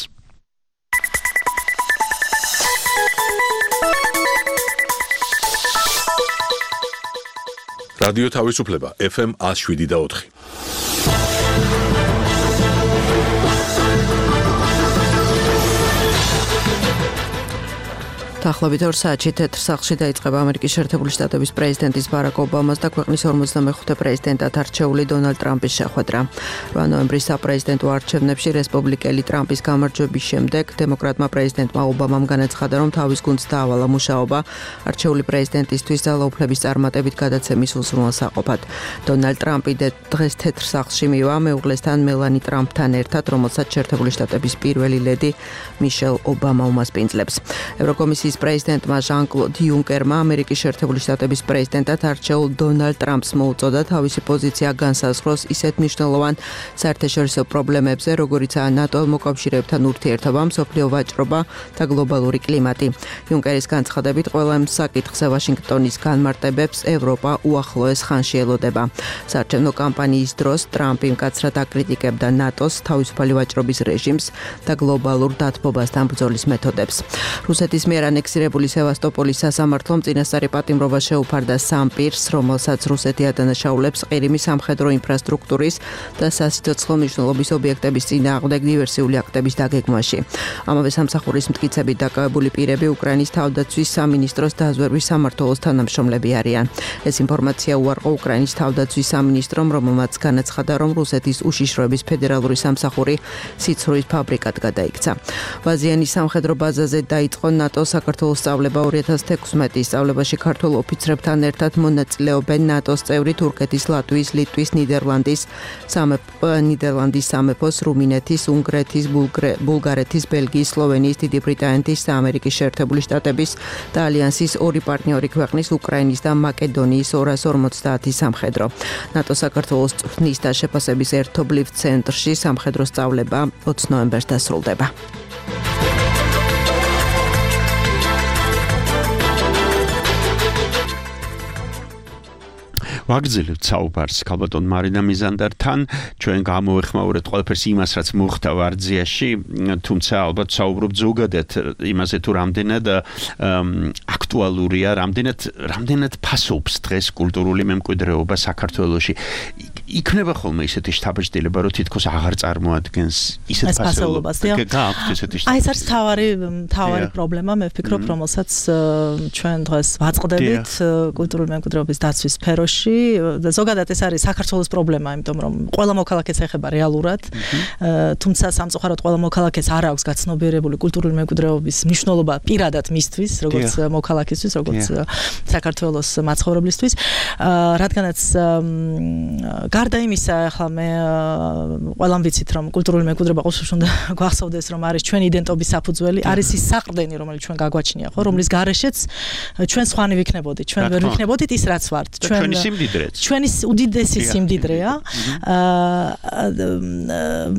რადიო თავისუფლება ეფ ემ one oh seven და four Daxlobit ორ საათში თეთრ სახლში დაიწყება ამერიკის შეერთებული შტატების პრეზიდენტის ბარაკ ობამას და ქვეყნის ორმოცდამეხუთე პრეზიდენტად არჩეული დონალდ ტრამპის შეხვედრა. რვა ნოემბრის საპრეზიდენტო არჩევნებში რესპუბლიკელი ტრამპის გამარჯვების შემდეგ დემოკრატმა პრეზიდენტმა ობამამ განაცხადა, რომ თავის გუნდს დაავალა მუშაობა არჩეული პრეზიდენტისთვის ძალაუფლების წარმატებით გადაცემის უზრუნველსაყოფად. დონალდ ტრამპი დღეს თეთრ სახლში მივა მეუღლესთან მელანი ტრამპთან ერთად, რომელსაც შეერთებული შტატების პირველი ლედი მიშელ ობამა უმასპინძლებს. ევროკომისიის პრეზიდენტმა ჟან-კლოდ იუნკერმა ამერიკის შეერთებული შტატების პრეზიდენტად არჩეულ დონალდ ტრამპს მოუწოდა თავისი პოზიცია განსაზღვროს ისეთ მნიშვნელოვან საერთაშორისო პრობლემებზე, როგორიცაა ნატო მოკავშირეებთან ურთიერთობა, მსოფლიო ვაჭრობა და გლობალური კლიმატი. იუნკერის განცხადებით, ყველა ამ საკითხზე ვაშინგტონის განმარტებებს ევროპა უახლოეს ხანში ელოდება. საარჩევნო კამპანიის დროს ტრამპი მკაცრად აკრიტიკებდა ნატოს, თავისუფალი ვაჭრობის რეჟიმს და გლობალურ დათბობასთან ბრძოლის მეთოდებს. რუსეთის მიერ ანექსირებული სევასტოპოლის სასამართლომ წინასწარი პატიმრობა შეუფარდა სამ პირს, რომელსაც რუსეთი ადანაშაულებს ყირიმის სამხედრო ინფრასტრუქტურის და სასიცოცხლო მნიშვნელობის ობიექტების წინააღმდეგ დივერსიული აქტების დაგეგმვაში. ამავე სამსახურის მტკიცებით დაკავებული პირები უკრაინის თავდაცვის სამინისტროს დაზვერვის სამმართველოს თანამშრომლები არიან. ეს ინფორმაცია უარყო უკრაინის თავდაცვის სამინისტრომ, რომელმაც განაცხადა, რომ რუსეთის უშიშროების ფედერალური სამსახური სიცრუის ფაბრიკად გადაიქცა. ვაზიანის სამხედრო ბაზაზე დაიწყო ნატო საქართველოს სწავლება ორი ათას თექვსმეტი სწავლებაში ქართულ ოფიცრებთან ერთად მონაწილეობენ ნატოს წევრი თურქეთის, ლატვიის, ლიტვის, ნიდერლანდის, სამეფო ნიდერლანდის სამეფოს, რუმინეთის, უნგრეთის, ბულგარეთის, ბელგიის, სლოვენიის, დიდი ბრიტანეთის და ამერიკის შეერთებული შტატების და ალიანსის ორი პარტნიორი ქვეყნის უკრაინის და მაკედონიის ორას ორმოცდაათი სამხედრო. ნატო საქართველოს წვრთნის და შეფასების ერთობლივ ცენტრში სამხედრო სწავლება ოცი ნოემბერს დასრულდება. ვაგრძელებთ საუბარს ქალბატონ მარინა მიზანდართან, ჩვენ გამოვეხმაურეთ ყველაფერს იმას, რაც მოხდა ვარძიაში, თუმცა ალბათ საუბრობთ ზოგადად იმაზე, თუ რამდენად აქტუალურია, რამდენად რამდენად ფასობს დღეს კულტურული მემკვიდრეობა საქართველოში. იქნება ხოლმე ისეთი შთაბეჭდილება, რომ თითქოს აღარ წარმოადგენს ისეთ ფასეულობას. გააქვთ ესეთი შთაბეჭდილება. აი, ეს არის თავარი თავარი პრობლემა, მე ვფიქრობ, რომელსაც ჩვენ დღეს ვაწყდებით კულტურული მემკვიდრეობის დაცვის სფეროში. და ზოგადად ეს არის საქართველოს პრობლემა, იმიტომ რომ ყველა მოქალაქეს ეხება რეალურად, თუმცა სამწუხაროდ ყველა მოქალაქეს არ აქვს გაცნობიერებული კულტურული მემკვიდრეობის მნიშვნელობა პირადად მისთვის, როგორც მოქალაქისთვის, როგორც საქართველოს მაცხოვრებლისთვის, რადგანაც გარდა იმისა, ახლა მე ყველამ ვიცით, რომ კულტურული მემკვიდრეობა ყოველთვის უნდა გვახსოვდეს, რომ არის ჩვენი იდენტობის საფუძველი, არის ის საყრდენი, რომელიც ჩვენ გაგვაჩნია, ხო, რომლის გარეშეც ჩვენ სხვანი ვიქნებოდით, ჩვენ ვერ ვიქნებოდით ის, რაც ვართ. ჩვენ ჩვენი უდიდესი სიმდიდრეა.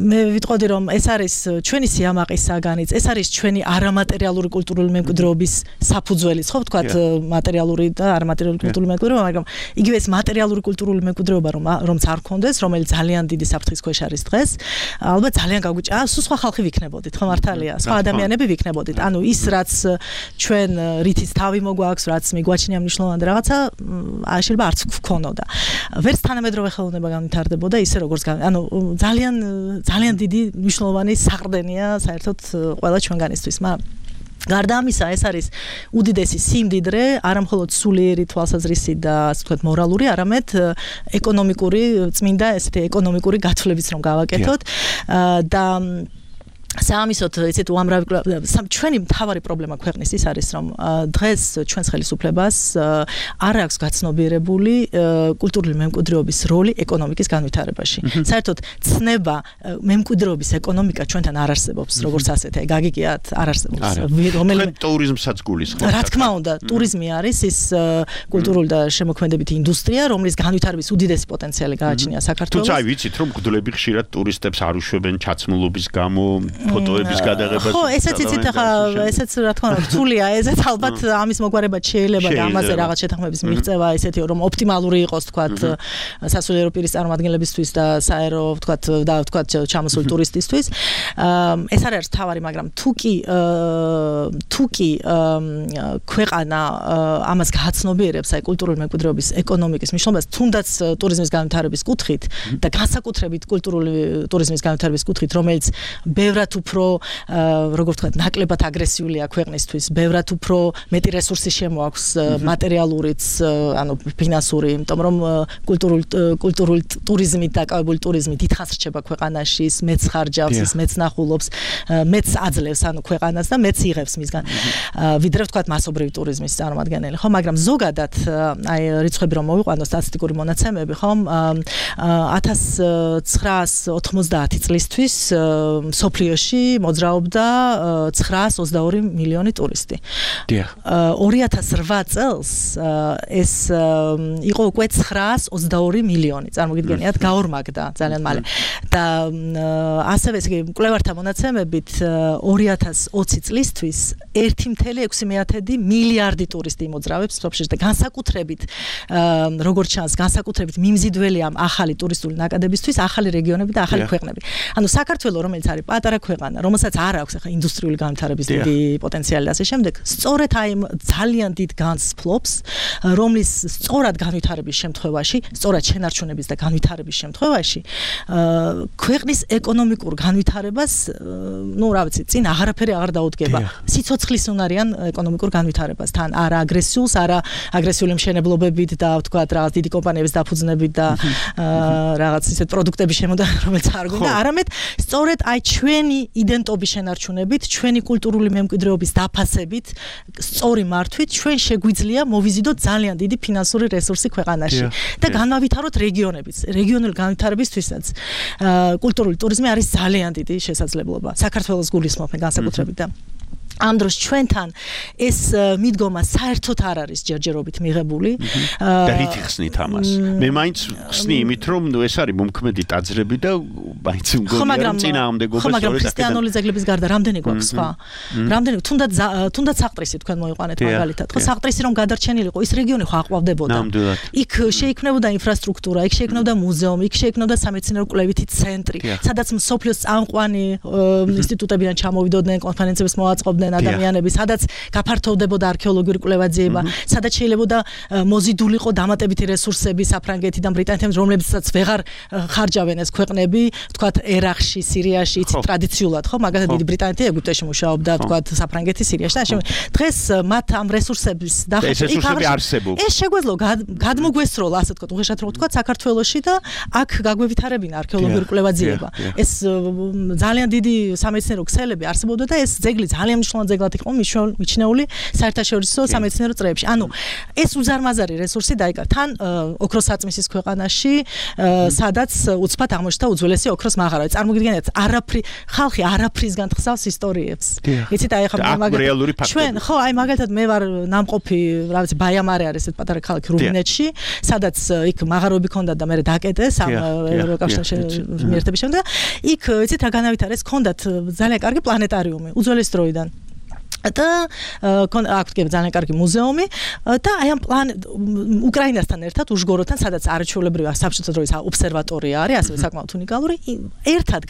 მე ვიტყოდი, რომ ეს არის ჩვენი სიამაყის საგანიც, ეს არის ჩვენი არამატერიალური კულტურული მემკვიდრეობის საფუძველიც, ხო, ვთქვათ, მატერიალური და არამატერიალური კულტურული მემკვიდრეობა, მაგრამ იგივე ეს მატერიალური კულტურული მემკვიდრეობა, რომ რომც არ გქონდეს, რომელიც ძალიან დიდი საფრთხის ქვეშ არის დღეს, ალბათ ძალიან გაგვიჭა, სულ სხვა ხალხი ვიქნებოდით, ხო მართალია, სხვა ადამიანები ვიქნებოდით. ანუ ის, რაც ჩვენ რითიც თავი მოგვაქვს, რაც მიგვაჩნია მნიშვნელოვანი რაღაცა, შეიძლება არც გქონოდა. ვერც თანამედროვე ხელოვნება განვითარდებოდა ისე როგორც ანუ ძალიან ძალიან დიდი მნიშვნელოვანი საყრდენია საერთოდ ყველა ჩვენგანისთვის, მაგრამ გარდა ამისა, ეს არის უდიდესი სიმდიდრე, არა მხოლოდ სულიერი თვალსაზრისი და ასე ვთქვათ მორალური, არამედ ეკონომიკური წმინდა ესეთი ეკონომიკური გათვლებიც რომ გავაკეთოთ და საამისოდ ესეთ უამრავი ჩვენი მთავარი პრობლემა ქვეყნის ის არის, რომ დღეს ჩვენს ხელისუფლებას არ აქვს გაცნობიერებული კულტურული მემკვიდრეობის როლი ეკონომიკის განვითარებაში. საერთოდ ცნება მემკვიდრეობის ეკონომიკა ჩვენთან არ არსებობს, როგორც ასეთი, გაგიგიათ, არ არსებობს. რომელიმე ტურიზმსაც გულისხმობთ. რა თქმა უნდა, ტურიზმი არის ის კულტურული და შემოქმედებითი ინდუსტრია, რომლის განვითარების უდიდესი პოტენციალი გააჩნია საქართველოს. თუმცა აი ვიცით, რომ მგდლები ხშირად ტურისტებს არ უშვებენ ჩაცმულობის გამო, ფოტოების გადაღებას. ხო, ესეც იცით ახლა, ესეც რა თქმა უნდა, რთულია, ესეც ალბათ ამის მოგვარებად შეიძლება და ამაზე რაღაც შეთანხმების მიღწევა ესეთი, რომ ოპტიმალური იყოს, თქვათ, სასულიერო პირის წარმომადგენლებისთვის და საერო, თქვათ, და თქვათ, ჩამოსული ტურისტისთვის. ეს არ არის თავარი, მაგრამ თუ კი თუ კი ქვეყანა ამას გაცნობიერებს, აი კულტურული მემკვიდრეობის ეკონომიკის მნიშვნელობას, თუნდაც ტურიზმის განვითარების კუთხით და განსაკუთრებით კულტურული ტურიზმის განვითარების კუთხით, რომელიც ბევრად ბევრად უფრო როგორ ვთქვათ, ნაკლებად აგრესიულია ქვეყნისთვის, ბევრად უფრო მეტი რესურსი შემოაქვს მატერიალურიც, ანუ ფინანსური, იმიტომ რომ კულტურული კულტურული ტურიზმით დაკავებული ტურიზმი დიდხანს რჩება ქვეყანაში, მეც ხარჯავს, ის მეც ნახულობს, მეც აძლევს ანუ ქვეყანას და მეც იღებს მისგან. ვიდრე ვთქვათ მასობრივი ტურიზმის წარმომადგენელი, ხო, მაგრამ ზოგადად აი რიცხვები რომ მოვიყვანო სტატისტიკური მონაცემები, ხო, ათას ცხრაას ოთხმოცდაათი წლისთვის სოფლიოში მოძრაობდა ცხრაას ოცდაორი მილიონი ტურისტი. ორი ათას რვა წელს ეს იყო უკვე ცხრაას ოცდაორი მილიონი. წარმოგიდგენიათ, გაორმაგდა ძალიან მალე. და ასევე ესე იგი მკვლევართა მონაცემებით ორი ათას ოცი წლისთვის ერთი მცდე ექვსი მეათედი მილიარდი ტურისტი იმოძრავებს სოფლიოში და განსაკუთრებით როგორც ჩანს, განსაკუთრებით მიმზიდველი ამ ახალი ტურისტული ნაკადებისთვის ახალი რეგიონები და ახალი ქვეყნები. ანუ საქართველო, რომელიც არის პატარა ქვეყანა, რომელსაც არ აქვს ახლა ინდუსტრიული განვითარების დიდი პოტენციალი და ასე შემდეგ, სწორედ აი ძალიან დიდ განს ფლობს, რომლის სწორად განვითარების შემთხვევაში, სწორად შენარჩუნების და განვითარების შემთხვევაში, ქვეყნის ეკონომიკურ განვითარებას, ну, რა ვიცი, წინ აღარაფერი აღარ დაუდგება. სიცოცხლის უნარიან ეკონომიკურ განვითარებას, თან არა აგრესიულს, არა აგრესიული მშენებლობებით და ვთქვათ, რაღაც დიდი კომპანიების დაფუძნებით და რაღაც ისეთ პროდუქტების შემოდან, რომელიც არ გონდა, არამედ სწორედ აი ჩვენი იდენტობის შენარჩუნებით, ჩვენი კულტურული მემკვიდრეობის დაფასებით, სწორი მართვით ჩვენ შეგვიძლია მოვიზიდოთ ძალიან დიდი ფინანსური რესურსი ქვეყანაში და განავითაროთ რეგიონებიც. რეგიონული განვითარებისთვისაც კულტურული ტურიზმი არის ძალიან დიდი შესაძლებლობა. საქართველოს გულისხმობენ განსაკუთრებით და ამ დროს ჩვენთან ეს მიდგომა საერთოდ არ არის ჯერჯერობით მიღებული. და რით ხსნით ამას? მე მაინც ხსნი იმით, რომ ნუ ეს არის მომქმედი ტაძრები და მაინც მგონია რომ წინააღმდეგობა ხო, მაგრამ ქრისტიანული ძეგლების გარდა რამდენი გვაქვს სხვა? რამდენი თუნდაც თუნდაც საყდრისი თქვენ მოიყვანეთ მაგალითად. ხო, საყდრისი რომ გადარჩენილიყო, ის რეგიონი ხო აყვავდებოდა. იქ შეიქმნებოდა ინფრასტრუქტურა, იქ შეიქმნებოდა მუზეუმი, იქ შეიქმნებოდა სამეცნიერო კვლევითი ცენტრი, სადაც მსოფლიოს წამყვანი ინსტიტუტებიდან ჩამოვიდოდნენ, კონფერენციებს მოაწყობდნენ ადამიანები, სადაც გაფართოვდებოდა არქეოლოგიური კვლევა-ძიება, სადაც შეიძლება მოზიდულიყო დამატებითი რესურსები საფრანგეთიდან, ბრიტანეთიდან, რომლებსაც ვეღარ ხარჯავენ ეს ქვეყნები, თქვათ ერაყში, სირიაში, იცით ტრადიციულად, ხო, მაგალითად დიდი ბრიტანეთი ეგვიპტეში მუშაობდა, თქვათ საფრანგეთი, სირიაში და ასე. დღეს მათ ამ რესურსების დახვეწა რესურსები არსებობს. ეს შეგვეძლო გადმოგვესროლა, ასე თქვათ, უხეშად რო თქვათ, საქართველოში და აქ გაგვევითარებინა არქეოლოგიური კვლევა-ძიება. ეს ძალიან დიდი სამეცნიერო ქსელები არსებობდა და ეს ძეგლი ძალიან ძეგლად იყო მიჩნეული საერთაშორისო სამეცნიერო წრეებში. ანუ ეს უზარმაზარი რესურსი დაიკარგა. თან ოქროს საწმისის ქვეყანაში, სადაც უცბად აღმოჩნდა უძველესი ოქროს მაღარავი. წარმოგიდგენთ, არაფრი ხალხი არაფრისგან ხსავს ისტორიებს. იცით, აი ახლა მაგალითად ჩვენ, ხო, აი მაგალითად მე ვარ ნამყოფი, რა ვიცი, ბაიამარე არის ეს პატარა ქალაქი რუმინეთში, სადაც იქ მაღაროები ქონდა და მე დაკეტეს ამ ევროკავშირში მიერთების შემდეგ. იქ იცით რა განავითარეს, ქონდათ ძალიან კარგი პლანეტარიუმი უძველეს დროიდან. და აქ კი ძალიან კარგი მუზეუმი და აი ამ პლან უკრაინასთან ერთად უშგოროთან, სადაც არაჩვეულებრივი საბჭოთა დროის ობსერვატორია არის, ასევე საკმაოდ უნიკალური, ერთად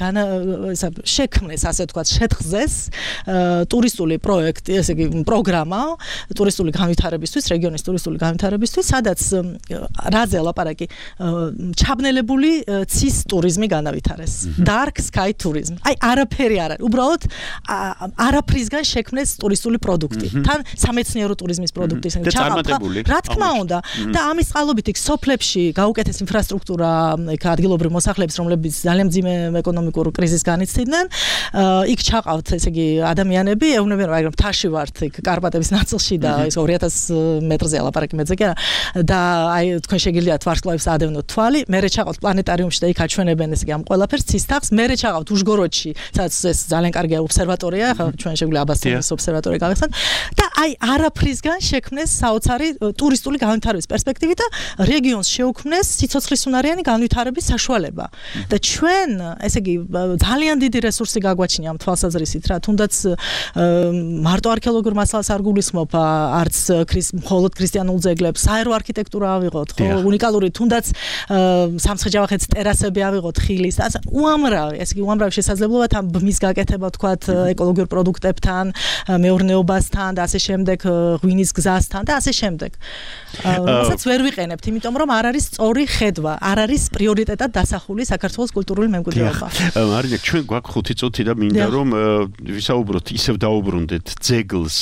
შექმნეს, ასე ვთქვათ, შეთხზეს ტურისტული პროექტი, ესე იგი პროგრამა ტურისტული განვითარებისთვის, რეგიონის ტურისტული განვითარებისთვის, სადაც რაზე ლაპარაკი ჩაბნელებული ცის ტურიზმი განავითარეს. Dark sky tourism. აი არაფერი არ არის. უბრალოდ არაფრისგან შექმნეს ტურისტული პროდუქტი. თან სამეცნიერო ტურიზმის პროდუქტი ჩაყავდა. რა თქმა უნდა, და ამის წყალობით იქ სოფლებში გაუკეთეს ინფრასტრუქტურა, იქ ადგილობრივი მოსახლეების, რომლებიც ძალიან მძიმე ეკონომიკურ კრიზისს განიცდიდნენ, იქ ჩაყავთ, ესე იგი, ადამიანები, ეუბნებიან, მაგრამ მთაში ვართ, იქ კარპატების ნაწილში და ეს ორი ათას მეტრზე ლაპარაკი მეძე კი არა. და აი თქვენ შეგიძლიათ ვარსკვლავებს ადევნოთ თვალი, მერე ჩაყავთ პლანეტარიუმში და იქ აჩვენებენ, ესე იგი, ამ ყველაფერს ცის თაღს, მერე ჩაყავთ უშგოროდში, სადაც ეს ძალიან კარგი ობსერვატორია, ხა ჩვენ შეგვიძლია აბასთონის ობსერვატორია გავიხსნათ და აი არაფრისგან შექმნეს საოცარი ტურისტული განვითარების პერსპექტივი და რეგიონს შეუქმნეს სიცოცხლისუნარიანი განვითარების საშუალება. და ჩვენ, ესე იგი, ძალიან დიდი რესურსი გაგვაჩნია ამ თვალსაზრისით, რა, თუნდაც მარტო არქეოლოგიურ მასალას არ გულისხმობ, არც მხოლოდ ქრისტიანულ ძეგლებს, საერო არქიტექტურა ავიღოთ, ხო, უნიკალური, თუნდაც სამცხე-ჯავახეთის ტერასები ავიღოთ, ხილის, ასე უამრავი, ესე იგი, უამრავი შესაძლებლობა თან ბმის გაკეთება, თქვათ, ეკოლოგიურ პროდუქტებთან, მეურნეობასთან და ასე შემდეგ, ღვინის გზასთან და ასე შემდეგ. რასაც ვერ ვიყენებთ, იმიტომ რომ არ არის სწორი ხედვა, არ არის პრიორიტეტად დასახული საქართველოს კულტურული მემკვიდრეობა. მარინა, ჩვენ გვაქვს ხუთი წუთი და მინდა რომ ვისაუბროთ, ისევ დაუბრუნდეთ ძეგლს,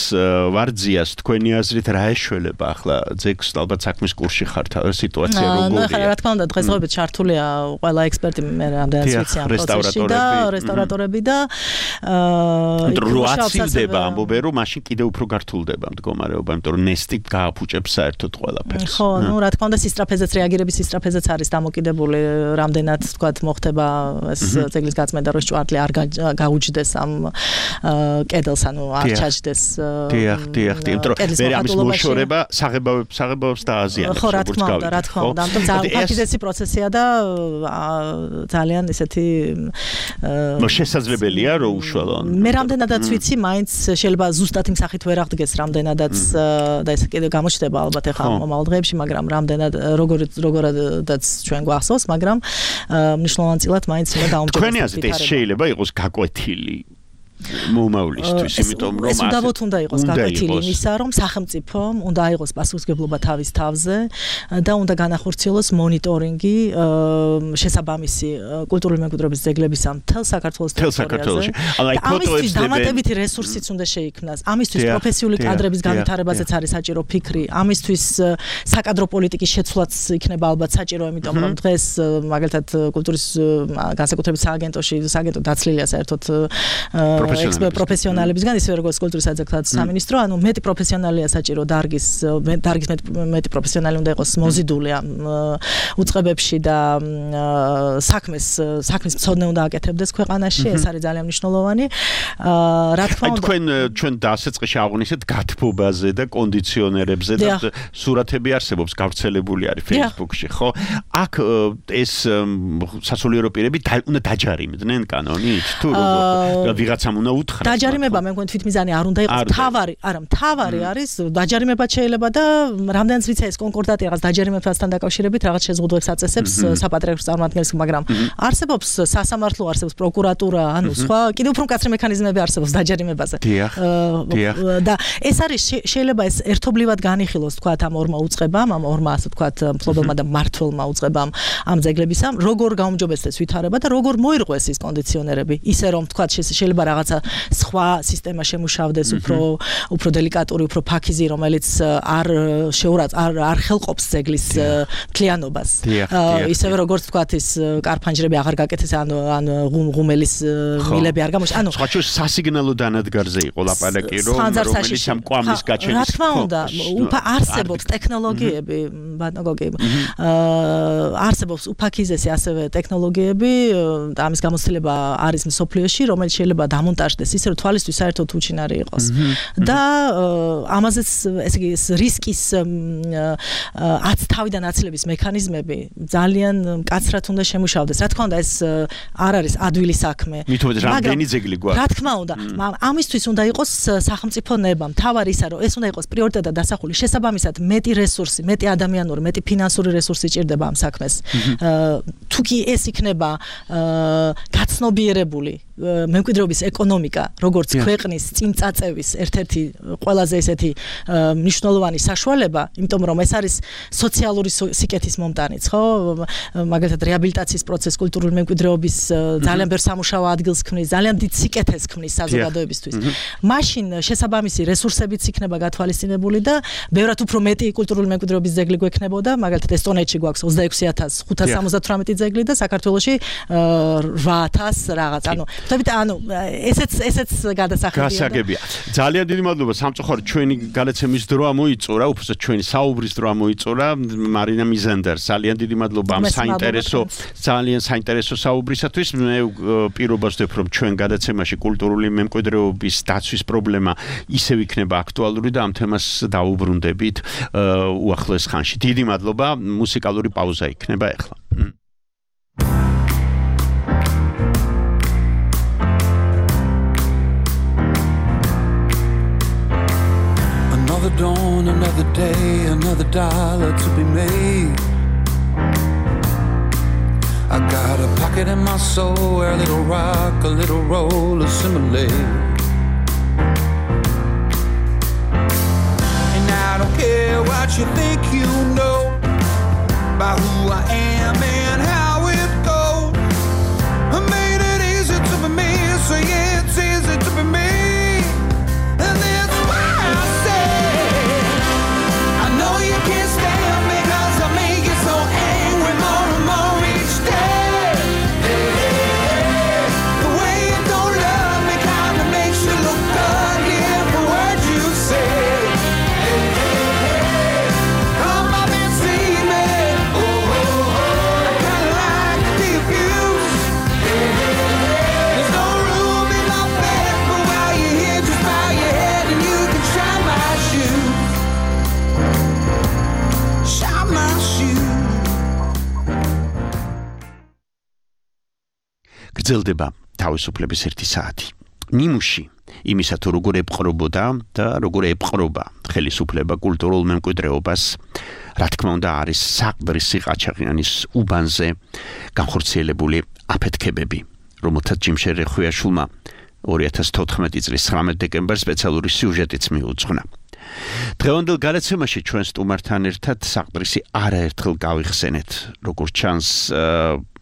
ვარძიას, თქვენი აზრით რა ეშველება ახლა ძეგლს, ალბათ საქმის კურსში ხართ, სიტუაცია როგორია? ნახე, რა თქმა უნდა, დღესდღეობით ჩართულია ყველა ექსპერტი მე რამდენიც ვიცი ამ პროცესში და რესტავრატორები და როაცილდება ამბობენ რომ მაშინ კიდე უფრო გართულდება მდგომარეობა, იმიტომ რომ ნესტი გააფუჭებს საერთოდ ყველაფერს. ხო, ну, რა თქმა უნდა, სისტრაფეზეც რეაგირების სისტრაფეზეც არის დამოკიდებული, რამდენად თქვათ მოხდება ეს ძეგლის გაწმენდა, რომ ჭვარტლი არ გაუჯდეს ამ კედელს, ანუ არ ჩაჯდეს. დიახ, დიახ, იმიტომ რომ მე ამის მოშორება საღებავებს საღებავებს დააზიანებს. ხო, რა თქმა უნდა, რა თქმა უნდა, ამიტომ ძალიან აფიდესი პროცესია და ძალიან ესეთი შესაძლებელია რომ უშუალო. მე რამდენადაც ვიცი, მაინც შეიძლება ზუსტად იმ სახით ვერ აღდგეს რამდენადაც და ეს კიდე გამოჩნდება ალბათ ახლა მომავალ დღეებში, მაგრამ რამდენად როგორ როგორადაც ჩვენ გვახსოვს, მაგრამ მნიშვნელოვანწილად მაინც უნდა დაუმჯობესდეს. თქვენი აზრით ეს შეიძლება იყოს გაკვეთილი მომავლისთვის, იმიტომ რომ ეს უდავოდ უნდა იყოს გაკვეთილი იმისა, რომ სახელმწიფომ უნდა აიღოს პასუხისმგებლობა თავის თავზე და უნდა განახორციელოს მონიტორინგი შესაბამისი კულტურული მემკვიდრეობის ძეგლებისა მთელ საქართველოს ტერიტორიაზე. ამისთვის დამატებითი რესურსიც უნდა შეიქმნას. ამისთვის პროფესიული კადრების განვითარებაზეც არის საჭირო ფიქრი. ამისთვის საკადრო პოლიტიკის შეცვლაც იქნება ალბათ საჭირო, იმიტომ რომ დღეს მაგალითად კულტურის განსაკუთრებით სააგენტოში, სააგენტო დაცლილია საერთოდ პროფესიონალებისგან, ისე როგორც კულტურის საძეგლთა სამინისტრო, ანუ მეტი პროფესიონალია საჭირო დარგის, დარგის მეტი პროფესიონალი უნდა იყოს მოზიდული ამ უწყებებში და საქმეს, საქმის მცოდნე უნდა აკეთებდეს ქვეყანაში, ეს არის ძალიან მნიშვნელოვანი. რა თქმა უნდა, თქვენ ჩვენ დასაწყისში აღვნიშნეთ გათბობაზე და კონდიციონერებზე და სურათები არსებობს, გავრცელებული არის Facebook-ში, ხო? აქ ეს სასულიერო პირები უნდა დაჯარიმდნენ კანონით თუ როგორ? ვიღაცამ უნდა უთხრას. დაჯარიმება მე მგონი თვითმიზანი არ უნდა იყოს. თავარი, არა, თავარი არის დაჯარიმება შეიძლება და რამდენიც ვიცი ეს კონკორდატი რაღაც დაჯარიმებასთან დაკავშირებით რაღაც შეზღუდვებს აწესებს საპატრიარქოს წარმომადგენელს, მაგრამ არსებობს სასამართლო, არსებობს პროკურატურა, ანუ სხვა კიდევ უფრო მკაცრი მექანიზმები არსებობს დაჯარიმებაზე. და ეს არის შეიძლება ეს ერთობლივად განიხილოს თქვათ ამ ორმა უწყებამ, ამ ორმა ასე თქვათ მფლობელმა და მმართველმა უწყებამ ამ ძეგლებისა, როგორ გაუმჯობესდეს ვითარება და როგორ მოირღვეს ის კონდიციონერები, ისე რომ თქვათ შეიძლება რაღაცა სხვა სისტემა შემუშავდეს, უფრო უფრო დელიკატური, უფრო ფაქიზი, რომელიც არ შეურაც არ არ ხელყოფს ძეგლის მთლიანობას. ისევე როგორც თქვათ ის კარფანჯრები აღარ გაკეთეს, ან ან ღუმელის მილები არ გამოჩნდა. ანუ სხვა შორის სასიგნალო დანადგარზე იყო ლაპარაკი, რომ რომელიც ამ კვამის გაჩენის. რა თქმა უნდა, უფა არსებობს ტექნოლოგიები, ბატონო გოგი. არსებობს უფაქიზესი ასევე ტექნოლოგიები და ამის გამოცდილება არის მსოფლიოში, რომელიც შეიძლება დამონტაჟდეს ისე რომ თვალისთვის საერთოდ უჩინარი იყოს. და ამაზეც ესე იგი რისკის აც თავიდან აცლების მექანიზმები ძალიან მკაცრად უნდა შემუშავდეს. რა თქმა უნდა, ეს არ არის ადვილი საქმე. მithomეთ რამდენი ძეგლი გვაქვს. რა თქმა უნდა, ამისთვის უნდა იყოს სახელმწიფო ნება. მთავარი ისა რომ ეს უნდა იყოს პრიორიტეტად დასახული. შესაბამისად, მეტი რესურსი, მეტი ადამიანური, მეტი ფინანსური რესურსი ჭირდება ამ საქმეს. თუ კი ეს იქნება გაცნობიერებული მემკვიდრეობის ეკონომიკა, როგორც ქვეყნის წინ წაწევის ერთ-ერთი ყველაზე ესეთი მნიშვნელოვანი საშუალება, იმიტომ რომ ეს არის სოციალური სიკეთის მომტანიც, ხო? მაგალითად რეაბილიტაციის პროცესი კულტურული მემკვიდრეობის ძალიან ბევრ სამუშაო ადგილს ქმნის, ძალიან დიდ სიკეთეს ქმნის საზოგადოებისთვის. მაშინ შესაბამისი რესურსებიც იქნება გათვალისწინებული და ბევრად უფრო მეტი კულტურული მემკვიდრეობის ძეგლი გვექნებოდა, მაგალითად ესტონეთში გვაქვს ოცდაექვსი ათას ხუთას სამოცდათვრამეტი ძეგლი და საქართველოში რვა ათას რაღაც. ანუ თუმცა ანუ ესეც ესეც გადასახებია. გასაგებია. ძალიან დიდი მადლობა სამწუხაროდ ჩვენი გადაცემის დრო ამოიწურა, უბრალოდ ჩვენი საუბრის დრო ამოიწურა. მარინა მიზანდარ, ძალიან დიდი მადლობა ამ საინტერესო, ძალიან საინტერესო საუბრისათვის. მე პირობას ვდებ რომ ჩვენ გადაცემაში კულტურული მემკვიდრეობის დაცვის პრობლემა ისევ იქნება აქტუალური და ამ თემას დაუბრუნდებით უახლოეს ხანში. დიდი მადლობა, მუსიკალური პაუზა იქნება ახლა. Another dawn, another day, another dollar to be made. I got a pocket in my soul where a little rock, a little roll assimilate. what you think you know about who I am and how it goes. I made it easy to be me, so yeah, it's easy to be me. And that's why I say I know you can't stand me, 'cause I make you so angry more and more each day. Hey, hey, hey. The way you don't love me kinda makes you look good, yeah, for what you say. Hey, hey, hey. Come up and see me. Oh, oh, oh. I kinda like the abuse. Hey, hey, hey. There's no room in my bed, but while you're here, just bow your head and you can shine my shoes. Shine my shoes. გრძელდება თავისუფლების ერთი საათი. ნიმუში იმისა თუ როგორ ეპყრობოდა და როგორ ეპყრობა ხელისუფლება კულტურულ მემკვიდრეობას, რა თქმა უნდა არის საყდრისი ყაჩაღიანის უბანზე განხორციელებული აფეთქებები, რომელთაც ჯიმშე რეხვიაშვილმა ორი ათას თოთხმეტი წლის ცხრამეტ დეკემბერს სპეციალური სიუჟეტიც მიუძღვნა. დღევანდელ გადაცემაში ჩვენ სტუმართან ერთად საყდრისი არაერთხელ გავიხსენეთ, როგორც ჩანს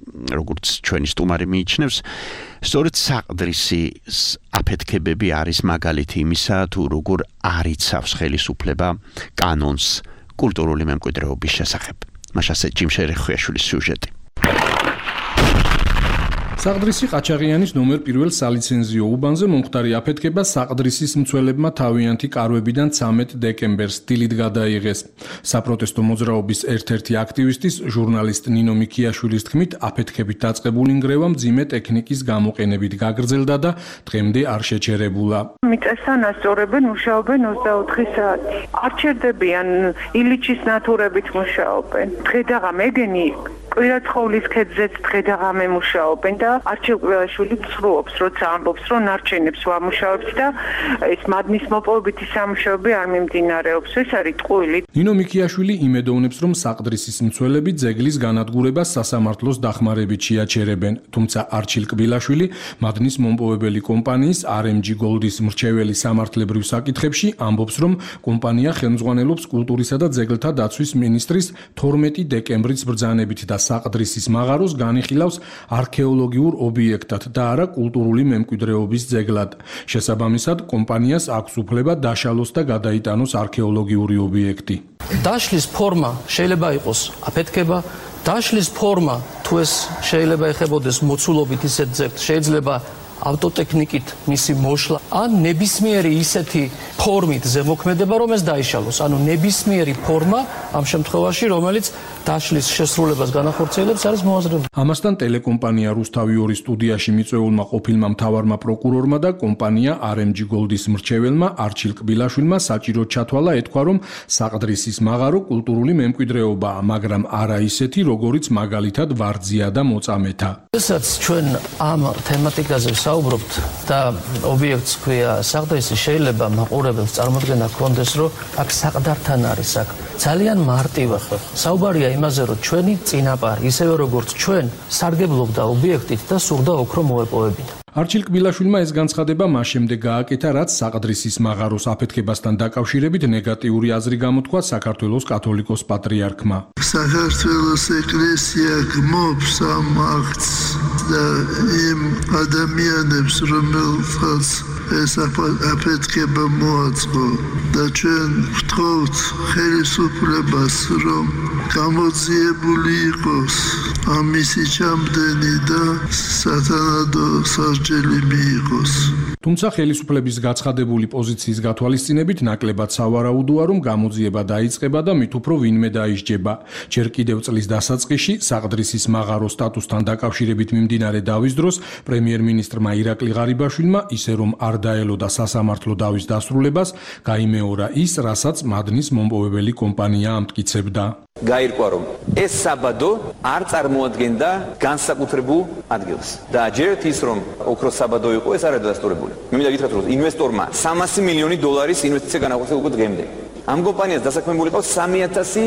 როგორც ჩვენი სტუმარი მიიჩნევს, სწორედ საყდრისის აფეთქებები არის მაგალითი იმისა, თუ როგორ არიცავს ხელისუფლება კანონს კულტურული მემკვიდრეობის შესახებ. მაშასე ჯიმშე რეხვიაშვილის სიუჟეტი. საყდრისი ყაჩაღიანის ნომერ პირველ სალიცენზიო უბანზე მომხდარი აფეთქება საყდრისის მცველებმა თავიანთი კარვებიდან ცამეტ დეკემბერს დილით გადაიღეს. საპროტესტო მოძრაობის ერთ-ერთი აქტივისტის ჟურნალისტ ნინო მიქიაშვილის თქმით, აფეთქებით დაწყებული ნგრევა მძიმე ტექნიკის გამოყენებით გაგრძელდა და დღემდე არ შეჩერებულა. მიწასთან ასწორებენ, მუშაობენ ოცდაოთხი საათი. არ ჩერდებიან, ილიჩის ნათურებით მუშაობენ. დღე-დაღამე ეგენი კვირაცხოვლის ქედზეც დღე-დაღამე მუშაობენ და არჩილ კბილაშვილი ცრუობს, როცა ამბობს, რომ ნარჩენებს ვამუშავებთ და ეს მადნის მოპოვებითი სამუშაოები არ მიმდინარეობს. ეს არის ტყუილი. ნინო მიქიაშვილი იმედოვნებს, რომ საყდრისის მცველები ძეგლის განადგურებას სასამართლოს დახმარებით შეაჩერებენ, თუმცა არჩილ კბილაშვილი მადნის მომპოვებელი კომპანიის არ ემ ჯი Gold-ის მრჩეველი სამართლებრივ საკითხებში ამბობს, რომ კომპანია ხელმძღვანელობს კულტურისა და ძეგლთა დაცვის მინისტრის თორმეტი დეკემბრის ბრძანებით და საყდრისის მაღაროს განიხილავს არქეოლოგიურ ობიექტად და არა კულტურული მემკვიდრეობის ძეგლად. შესაბამისად, კომპანიას აქვს უფლება დაშალოს და გადაიტანოს არქეოლოგიური ობიექტი. დაშლის ფორმა შეიძლება იყოს აფეთქება, დაშლის ფორმა თუ ეს შეიძლება ეხებოდეს მოცულობით ისეთ ძეგლს, შეიძლება ავტოტექნიკით მისი მოშლა, ან ნებისმიერი ისეთი ფორმით ზემოქმედება, რომ ეს დაიშალოს. ანუ ნებისმიერი ფორმა ამ შემთხვევაში, რომელიც დაშლის შესრულებას განახორციელებს, არის მოაზრებული. ამასთან ტელეკომპანია რუსთავი ორი სტუდიაში მიწვეულმა ყოფილმა მთავარმა პროკურორმა და კომპანია არ ემ ჯი Gold-ის მრჩეველმა არჩილ კბილაშვილმა საჭიროდ ჩათვალა ეთქვა, რომ საყდრისის მაღარო კულტურული მემკვიდრეობაა, მაგრამ არა ისეთი, როგორიც მაგალითად ვარძია და მოწამეთა. როდესაც ჩვენ ამ თემატიკაზე საუბრობთ და ობიექტს ქვია საყდრისი, შეიძლება მაყურებელს წარმოდგენა ჰქონდეს, რომ აქ საყდართან არის საქმე. ძალიან მარტივი ხო. საუბარია იმაზე, რომ ჩვენი წინაპარი, ისევე როგორც ჩვენ, სარგებლობდა ობიექტით და სურდა ოქრო მოეპოვებინა. არჩილ კბილაშვილმა ეს განცხადება მას შემდეგ გააკეთა, რაც საყდრისის მაღაროს აფეთქებასთან დაკავშირებით ნეგატიური აზრი გამოთქვა საქართველოს კათოლიკოს პატრიარქმა. საქართველოს ეკლესია გმობს ამ აქტს და იმ ადამიანებს, რომელთაც ეს აფეთქება მოაწყო და ჩვენ ვთხოვთ ხელისუფლებას, რომ გამოძიებული იყოს ამისი ჩამდენი და სათანადო სასჯელი მიიღოს. თუმცა ხელისუფლების გაცხადებული პოზიციის გათვალისწინებით ნაკლებად სავარაუდოა, რომ გამოძიება დაიწყება და მით უფრო ვინმე დაისჯება. ჯერ კიდევ წლის დასაწყისში საყდრისის მაღაროს სტატუსთან დაკავშირებით მიმდინარე დავის დროს პრემიერ-მინისტრმა ირაკლი ღარიბაშვილმა ისე რომ არ დაელოდა სასამართლო დავის დასრულებას, გაიმეორა ის, რასაც მადნის მომპოვებელი კომპანია ამტკიცებდა. გაირკვა, რომ ეს საბადო არ წარმოადგენდა განსაკუთრებულ ადგილს და ჯერთ ის, რომ ოქროს საბადო იყო, ეს არ არის დადასტურებული. მე მინდა გითხრათ, რომ ინვესტორმა სამასი მილიონი დოლარის ინვესტიცია განახორციელა უკვე დღემდე. ამ კომპანიას დასაქმებული ყავს სამი ათასი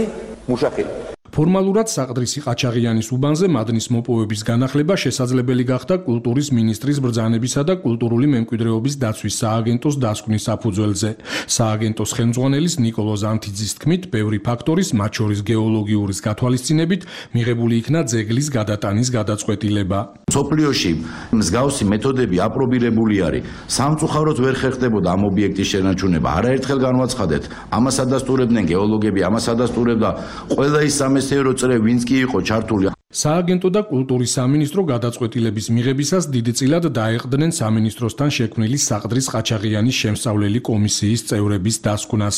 მუშახელი. ფორმალურად საყდრისი ყაჩაღიანის უბანზე მადნის მოპოვების განახლება შესაძლებელი გახდა კულტურის მინისტრის ბრძანებისა და კულტურული მემკვიდრეობის დაცვის სააგენტოს დასკვნის საფუძველზე. სააგენტოს ხელმძღვანელის ნიკოლო ზანთიძის თქმით, ბევრი ფაქტორის, მათ შორის გეოლოგიურის გათვალისწინებით, მიღებული იქნა ძეგლის გადატანის გადაწყვეტილება. სოფლიოში მსგავსი მეთოდები აპრობირებული არის. სამწუხაროდ ვერ ხერხდებოდა ამ ობიექტის შენარჩუნება. არაერთხელ განვაცხადეთ, ამას ადასტურებდნენ გეოლოგები, ამას ადასტურებდა ყველა ის სამეცნიერო წრე, ვინც კი იყო ჩართული. სააგენტო და კულტურის სამინისტრო გადაწყვეტილების მიღებისას დიდწილად დაეყრდნენ სამინისტროსთან შექმნილი საყდრის ყაჩაღიანის შემსწავლელი კომისიის წევრების დასკვნას.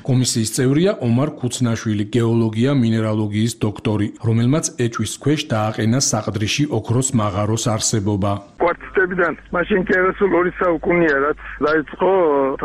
კომისიის წევრია ომარ ქუცნაშვილი, გეოლოგია, მინერალოგიის დოქტორი, რომელმაც ეჭვის ქვეშ დააყენა საყდრიში ოქროს მაღაროს არსებობა. კვარტიტებიდან მაშინ კერასულ ორი საუკუნეა, რაც დაიწყო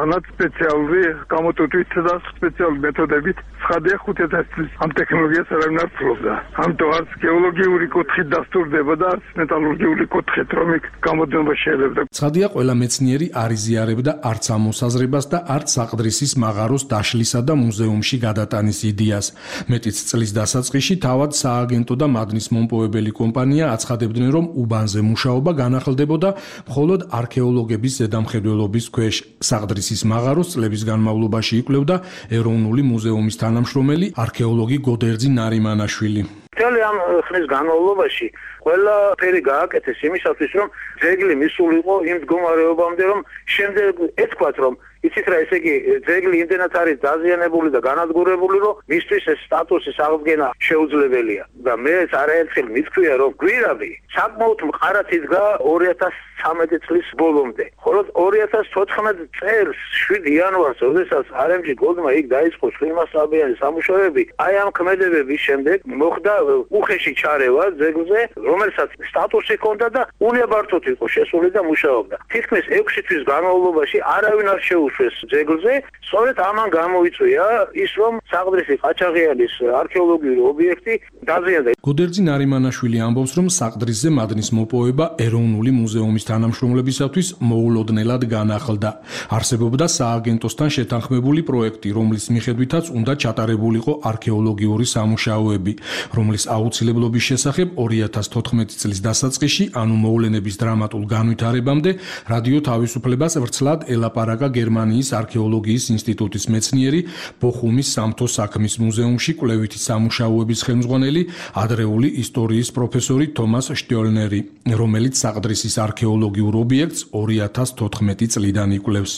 თანაც სპეციალური გამოტვით და სპეციალური მეთოდებით. ცხადია ხუთი ათასი წლის ამ ტექნოლოგიას არავინ არ ფლობდა. ამიტომ არც გეოლოგიური კუთხით დასტურდება და არც მეტალურგიული კუთხით, რომ იქ გამოდნობა შეიძლება. ცხადია, ყველა მეცნიერი არ იზიარებდა არც ამ მოსაზრებას და არც საყდრისის მაღაროს დაშლისა და მუზეუმში გადატანის იდეას. მეტიც წლის დასაწყისში თავად სააგენტო და მადნის მომპოვებელი კომპანია აცხადებდნენ, რომ უბანზე მუშაობა განახლდებოდა მხოლოდ არქეოლოგების ზედამხედველობის ქვეშ. საყდრისის მაღაროს წლების განმავლობაში იკვლევდა ეროვნული მუზეუმის თანამშრომელი არქეოლოგი გოდერძი ნარიმანაშვილი. მთელი ამ ხნის განმავლობაში ყველაფერი გააკეთეს იმისათვის, რომ ძეგლი მისული იყო იმ მდგომარეობამდე, რომ შემდეგ ეთქვათ, რომ იცით რა, ესე იგი ძეგლი იმდენად არის დაზიანებული და განადგურებული, რომ მისთვის ეს სტატუსის აღდგენა შეუძლებელია. და მეც არაერთხელ მithქვია, რომ გვირაბი საკმაოდ მყარად იდგა ორი ათას ცხრამეტი წლის ბოლომდე. ხოლო ორი ათას თოთხმეტ წელს შვიდი იანვარს, როდესაც არ ემ ჯი Goldმა იქ დაიწყო ცხილმასწავლებელი სამუშაოები, აი ამ ქმედებების შემდეგ მოხდა უხეში ჩარევა ძეგლზე, რომელსაც სტატუსი ჰქონდა და უნებართოდ იყო შესული და მუშაობდა. თითქმის ექვსი თვის განმავლობაში არავინ არ შეუშვეს ძეგლზე, სწორედ ამან გამოიწვია ის, რომ საყდრისი ყაჩაღიანის არქეოლოგიური ობიექტი დაზიანდა. გოდერძი ნარიმანაშვილი ამბობს, რომ საყდრისზე მადნის მოპოვება ეროვნული მუზეუმის თანამშრომლებისათვის მოულოდნელად განახლდა. არსებობდა სააგენტოსთან შეთანხმებული პროექტი, რომლის მიხედვითაც უნდა ჩატარებულიყო არქეოლოგიური სამუშაოები, რომლის აუცილებლობის შესახებ ორი ათას თოთხმეტი წლის დასაწყისში, ანუ მოვლენების დრამატულ განვითარებამდე, რადიო თავისუფლებას ვრცლად ელაპარაკა გერმანიის არქეოლოგიის ინსტიტუტის მეცნიერი, ბოხუმის სამთო საქმის მუზეუმში კვლევითი სამუშაოების ხელმძღვანელი, ადრეული ისტორიის პროფესორი თომას შტიოლნერი, რომელიც საყდრისის არქეოლოგიურ ობიექტს ორი ათას თოთხმეტი წლიდან იკვლევს.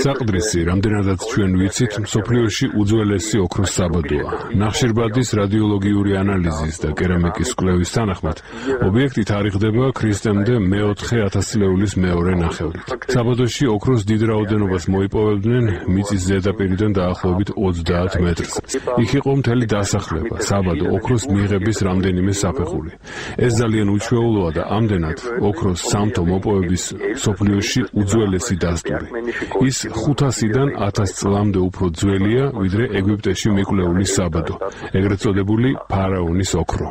საყდრისი, რამდენადაც ჩვენ ვიცით, მსოფლიოში უძველესი ოქროს საბადოა. ნახშირბადის რადიოლოგიური ანალიზის და კერამიკის კვლევის თანახმად, ობიექტი თარიღდება ქრისტემდე მეოთხე ათასწლეულის მეორე ნახევრით. საბადოში ოქროს დიდ რაოდენობას მოიპოვებდნენ მიწის ზედაპირიდან დაახლოებით ოცდაათ მეტრს. იქ იყო მთელი დასახლება, საბადო, ოქროს მიღების რამდენიმე საფეხური. ეს ძალიან უჩვეულოა და ამდენად ოქროს სამთო მოპოვების მსოფლიოში უძველესი დასტური. ის ხუთასიდან ათას წლამდე უფრო ძველია, ვიდრე ეგვიპტეში მიკვლეული საბადო, ეგრეთ წოდებული ფარაონის ოქრო.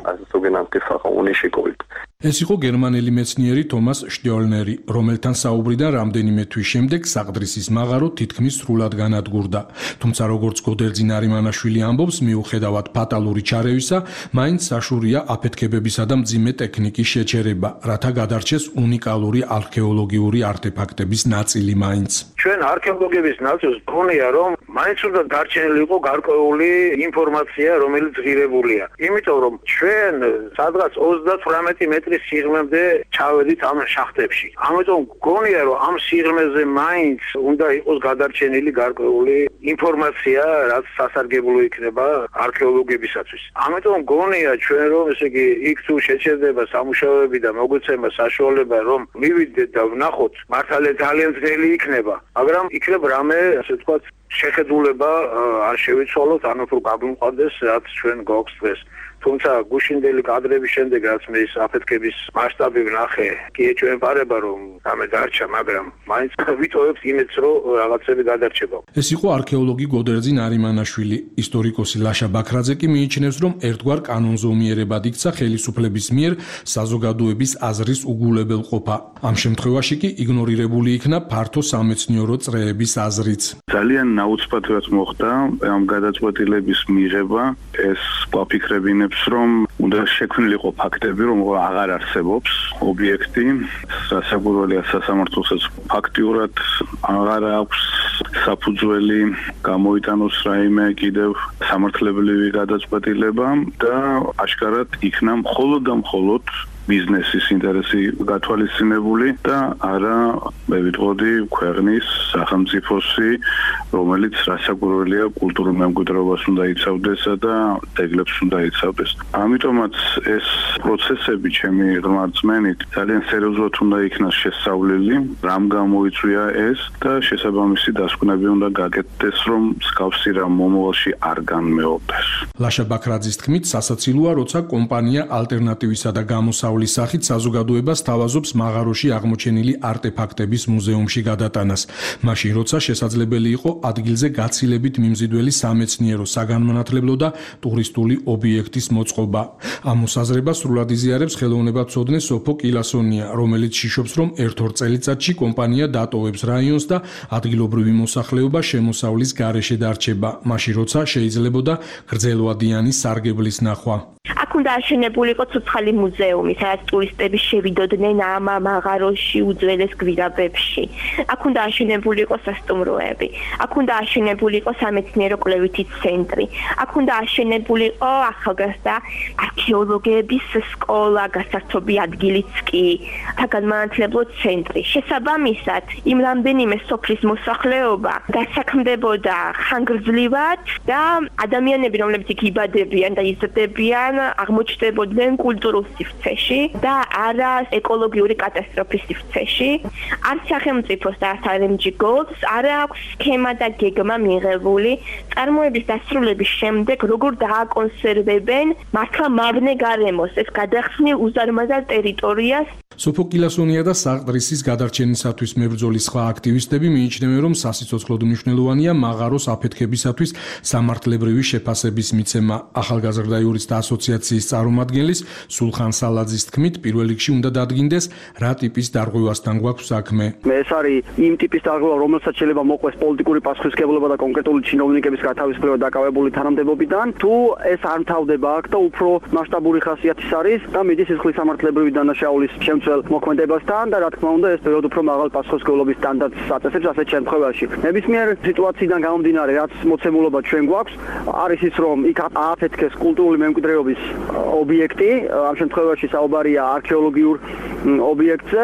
ეს იყო გერმანელი მეცნიერი თომას შტიოლნერი, რომელთან საუბრიდან რამდენიმე თვის შემდეგ საყდრისის მაღარო თითქმის სრულად განადგურდა. თუმცა როგორც გოდერძი ნარიმანაშვილი ამბობს, მიუხედავად ფატალური ჩარევისა, მაინც საშურია აფეთქებებისა და მძიმე ტექნიკის შეჩერება, რათა გადარჩეს უნიკალური არქეოლოგიური არტეფაქტების ნაწილი მაინც. ჩვენ არქეოლოგების ნაწილს გქონია, რომ მაინც უნდა დარჩენილიყო გარკვეული ინფორმაცია, რომელიც ღირებულია. იმიტომ რომ ჩვენ სადღაც ოცდათვრამეტი მეტრის სიღრმემდე ჩავედით ამ შახტებში. ამიტომ გქონია, რომ ამ სიღრმეზე მაინც უნდა იყოს გადარჩენილი გარკვეული ინფორმაცია, რაც სასარგებლო იქნება არქეოლოგებისათვის. ამიტომ გქონია ჩვენ, რომ ესე იგი იქ თუ შეჩერდება სამუშაოები და მოგვეცემა საშუალება, რომ მივიდეთ და ვნახოთ, მართალია ძალიან ძნელი იქნება, მაგრამ იქნებ რამე, ასე ვთქვათ, შეხედულება არ შევიცვალოთ, ანუ თუ გაგვიმყარდეს, რაც ჩვენ გვაქვს დღეს. თუმცა გუშინდელი კადრების შემდეგ რაც მე ის აფეთქების მასშტაბი ვნახე, კი ეჭვემპარება რომ ამე დარჩა, მაგრამ მაინც ვიტოვებს იმედს რომ რაღაცები გადარჩება. ეს იყო არქეოლოგი გოდერძი ნარიმანაშვილი. ისტორიკოსი ლაშა ბაქრაძე კი მიიჩნევს, რომ ერთგვარ კანონზომიერებად იქცა ხელისუფლების მიერ საზოგადოების აზრის უგულებელყოფა. ამ შემთხვევაში კი იგნორირებული იქნა ფართო სამეცნიერო წრეების აზრიც. ძალიან ნაუცბად მოხდა ამ გადაწყვეტილების მიღება. ეს გვაფიქრებინებს, რომ უნდა შექმნილიყო ფაქტები, რომ აღარ არსებობს ობიექტი, სასაგურველია სასამართლოსაც ფაქტიურად აღარ აქვს საფუძველი გამოიტანოს რაიმე კიდევ სამართლებრივი გადაწყვეტილება და აშკარად იქნა მხოლოდ და მხოლოდ ბიზნესის ინტერესი გათვალისწინებული და არა მე ვიტყოდი ქვეყნის სახელმწიფოსი, რომელიც რასაკვირველია კულტურულ მემკვიდრეობას უნდა იცავდეს და ძეგლებს უნდა იცავდეს. ამიტომაც ეს პროცესები ჩემი ღრმარწმენით ძალიან სერიოზულად უნდა იქნას შესწავლილი, რამ გამოიწვია ეს და შესაბამისი დასკვნები უნდა გაკეთდეს, რომ მსგავსი რამ მომავალში არ განმეორდეს. ლაშა ბაქრაძის თქმით, სასაცილოა, როცა კომპანია ალტერნატივისა და გამოსავლის სახით საზოგადოებას თავაზობს მაღაროში აღმოჩენილი არტეფაქტების მუზეუმში გადატანას. მაშინ, როცა შესაძლებელი იყო ადგილზე გაცილებით მიმზიდველი სამეცნიერო, საგანმანათლებლო და ტურისტული ობიექტის მოწყობა. ამ მოსაზრებას სრულად იზიარებს ხელოვნებაცოდნე სოფო კილასონია, რომელიც შიშობს, რომ ერთ-ორ წელიწადში კომპანია დატოვებს რაიონს და ადგილობრივი მოსახლეობა შემოსავლის გარეშე დარჩება, მაშინ, როცა შეიძლებოდა გრძელვადიანი სარგებლის ნახვა. აქ უნდა აშენებულიყო ცოცხალი მუზეუმი, სადაც ტურისტები შევიდოდნენ ამ მაღაროში უძველეს გვირაბებში. აქ უნდა აშენებულიყო სასტუმროები, აქ უნდა აშენებულიყო სამეცნიერო კვლევითი ცენტრი, აქ უნდა აშენებულიყო ახალგაზრდა არქეოლოგების სკოლა, გასართობი ადგილიც კი, საგანმანათლებლო ცენტრი. შესაბამისად, იმ რამდენიმე სოფლის მოსახლეობა დასაქმდებოდა ხანგრძლივად და ადამიანები, რომლებიც იქ იბადებიან და იზრდებიან, აღმოჩნდებოდნენ კულტურულ სივრცეში და არა ეკოლოგიური კატასტროფის სივრცეში. არ სახელმწიფოს და არ ემ ჯი Golds არ აქვს სქემა და გეგმა მიღებული წარმოების დასრულების შემდეგ როგორ დააკონსერვებენ მართლა მავნე გარემოს ეს გადახსნილ უზარმაზარ ტერიტორიას. სოფო კილასონია და საყდრისის გადარჩენისათვის მებრძოლი სხვა აქტივისტები მიიჩნევენ, რომ სასიცოცხლოდ მნიშვნელოვანია მაღაროს აფეთქებისათვის სამართლებრივი შეფასების მიცემა. ახალგაზრდა იურისტთა ასოციაციის წარმომადგენლის სულხან სალაძის თქმით, პირველ რიგში უნდა დადგინდეს, რა ტიპის დარღვევასთან გვაქვს საქმე. ეს არის იმ ტიპის დარღვევა, რომელსაც შეიძლება მოყვეს პოლიტიკური პასუხისმგებლობა და კონკრეტული ჩინოვნიკების გათავისუფლება დაკავებული თანამდებობიდან, თუ ეს არ მთავრდება აქ და უფრო მასშტაბური ხასიათის არის და მიდის სისხლის სამართლებრივი დანაშაულის შემცველ მოქმედებასთან და რა თქმა უნდა ეს პერიოდ უფრო მაღალ პასუხისმგებლობის სტანდარტს აწესებს ასეთ შემთხვევაში. ნებისმიერ სიტუაციიდან გამომდინარე, რაც მოცემულობა ჩვენ გვაქვს, არის ის, რომ იქ ააფეთქეს კულტურული მემკვიდრეობის ობიექტი, ამ შემთხვევაში საუბარია არქეოლოგიურ ობიექტზე,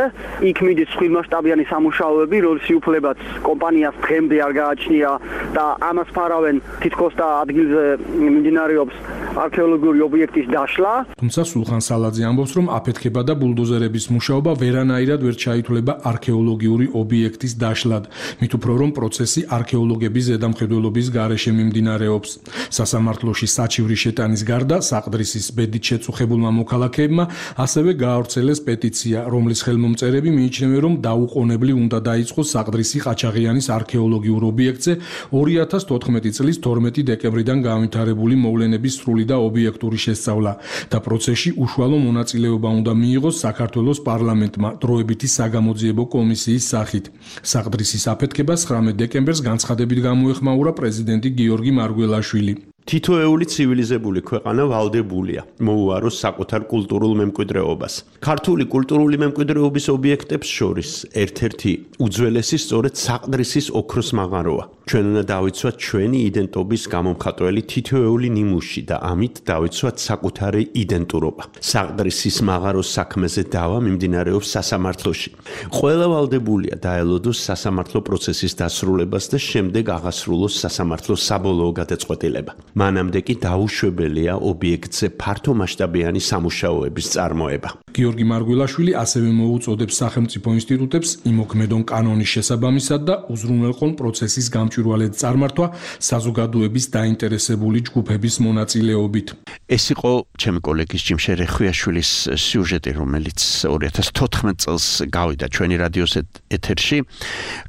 იქ მიდის ხილმასშტაბიანი სამუშაოები, რომლის უფლებაც კომპანიას დღემდე არ გააჩნია და ამას ფარავენ თითქოს და ადგილზე მიმდინარეობს არქეოლოგიური ობიექტის დაშლა. თუმცა სულხან სალაძე ამბობს, რომ აფეთქება და ბულდოზერების მუშაობა ვერანაირად ვერ ჩაითვლება არქეოლოგიური ობიექტის დაშლად, მით უფრო რომ პროცესი არქეოლოგების ზედამხედველობის გარეშე მიმდინარეობს. სასამართლოში საჩივრის შეტანის გარდა საყდრისის ბედით შეწუხებულმა მოქალაქეებმა ასევე გაავრცელეს პეტიცია, რომლის ხელმომწერები მიიჩნევენ, რომ დაუყოვნებლივ უნდა დაიწყოს საყდრისი ყაჩაღიანის არქეოლოგიურ ობიექტზე ორი ათას თოთხმეტი წლის თორმეტი დეკემბრიდან განვითარებული მოვლენების სრული და ობიექტური შესწავლა და პროცესში უშუალო მონაწილეობა უნდა მიიღოს საქართველოს პარლამენტმა დროებითი საგამოძიებო კომისიის სახით. საყდრისის აფეთქებას ცხრამეტ დეკემბერს განცხადებით გამოეხმაურა პრეზიდენტი გიორგი მარგველაშვილი. თითოეული ცივილიზებული ქვეყანა ვალდებულია მოუაროს საკუთარ კულტურულ მემკვიდრეობას. ქართული კულტურული მემკვიდრეობის ობიექტებს შორის ერთ-ერთი უძველესი სწორედ საყდრისის ოქროს მაღაროა. ჩვენ უნდა დავიცვათ ჩვენი იდენტობის გამომხატველი თითოეული ნიმუში და ამით დავიცვათ საკუთარი იდენტურობა. საყდრისის მაღაროს საქმეზე დავა მიმდინარეობს სასამართლოში. ყველა ვალდებულია დაელოდოს სასამართლო პროცესის დასრულებას და შემდეგ აღასრულოს სასამართლოს საბოლოო გადაწყვეტილება. მანამდე კი დაუშვებელია ობიექტზე ფართო მასშტაბიანი სამუშაოების წარმოება. გიორგი მარგველაშვილი ასევე მოუწოდებს სახელმწიფო ინსტიტუტებს იმოქმედონ კანონის შესაბამისად და უზრუნველყონ პროცესის გამჭვირვალედ წარმართვა საზოგადოების დაინტერესებული ჯგუფების მონაწილეობით. ეს იყო ჩემი კოლეგის ჯიმ შერეხვიაშვილის სიუჟეტი, რომელიც ორი ათას თოთხმეტ წელს გავიდა ჩვენი რადიოს ეთერში,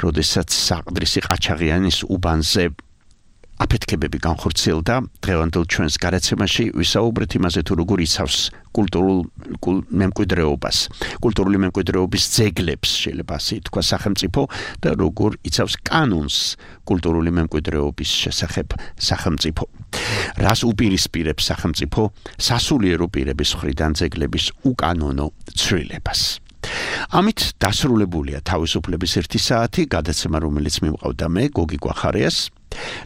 როდესაც საყდრისი ყაჩაღიანის უბანზე აფეთქებები განხორციელდა. დღევანდელ ჩვენს გარაცემაში ვისაუბრეთ იმაზე, თუ როგორ იცავს კულტურულ მემკვიდრეობას, კულტურული მემკვიდრეობის ძეგლებს, შეიძლება ასე ითქვა სახელმწიფო და როგორ იცავს კანონს კულტურული მემკვიდრეობის შესახებ სახელმწიფო. რას უპირისპირებს სახელმწიფო სასულიერო პირების მხრიდან ძეგლების უკანონო ცვლილებას. ამით დასრულებულია თავისუფლების ერთი საათი, გადაცემა, რომელიც მიმყავდა მე, გოგი გვახარიას.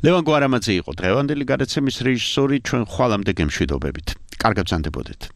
ლევან გვარამაძე იყო დღევანდელი გადაცემის რეჟისორი, ჩვენ ხვალამდე გემშვიდობებით. კარგად ბრძანდებოდეთ.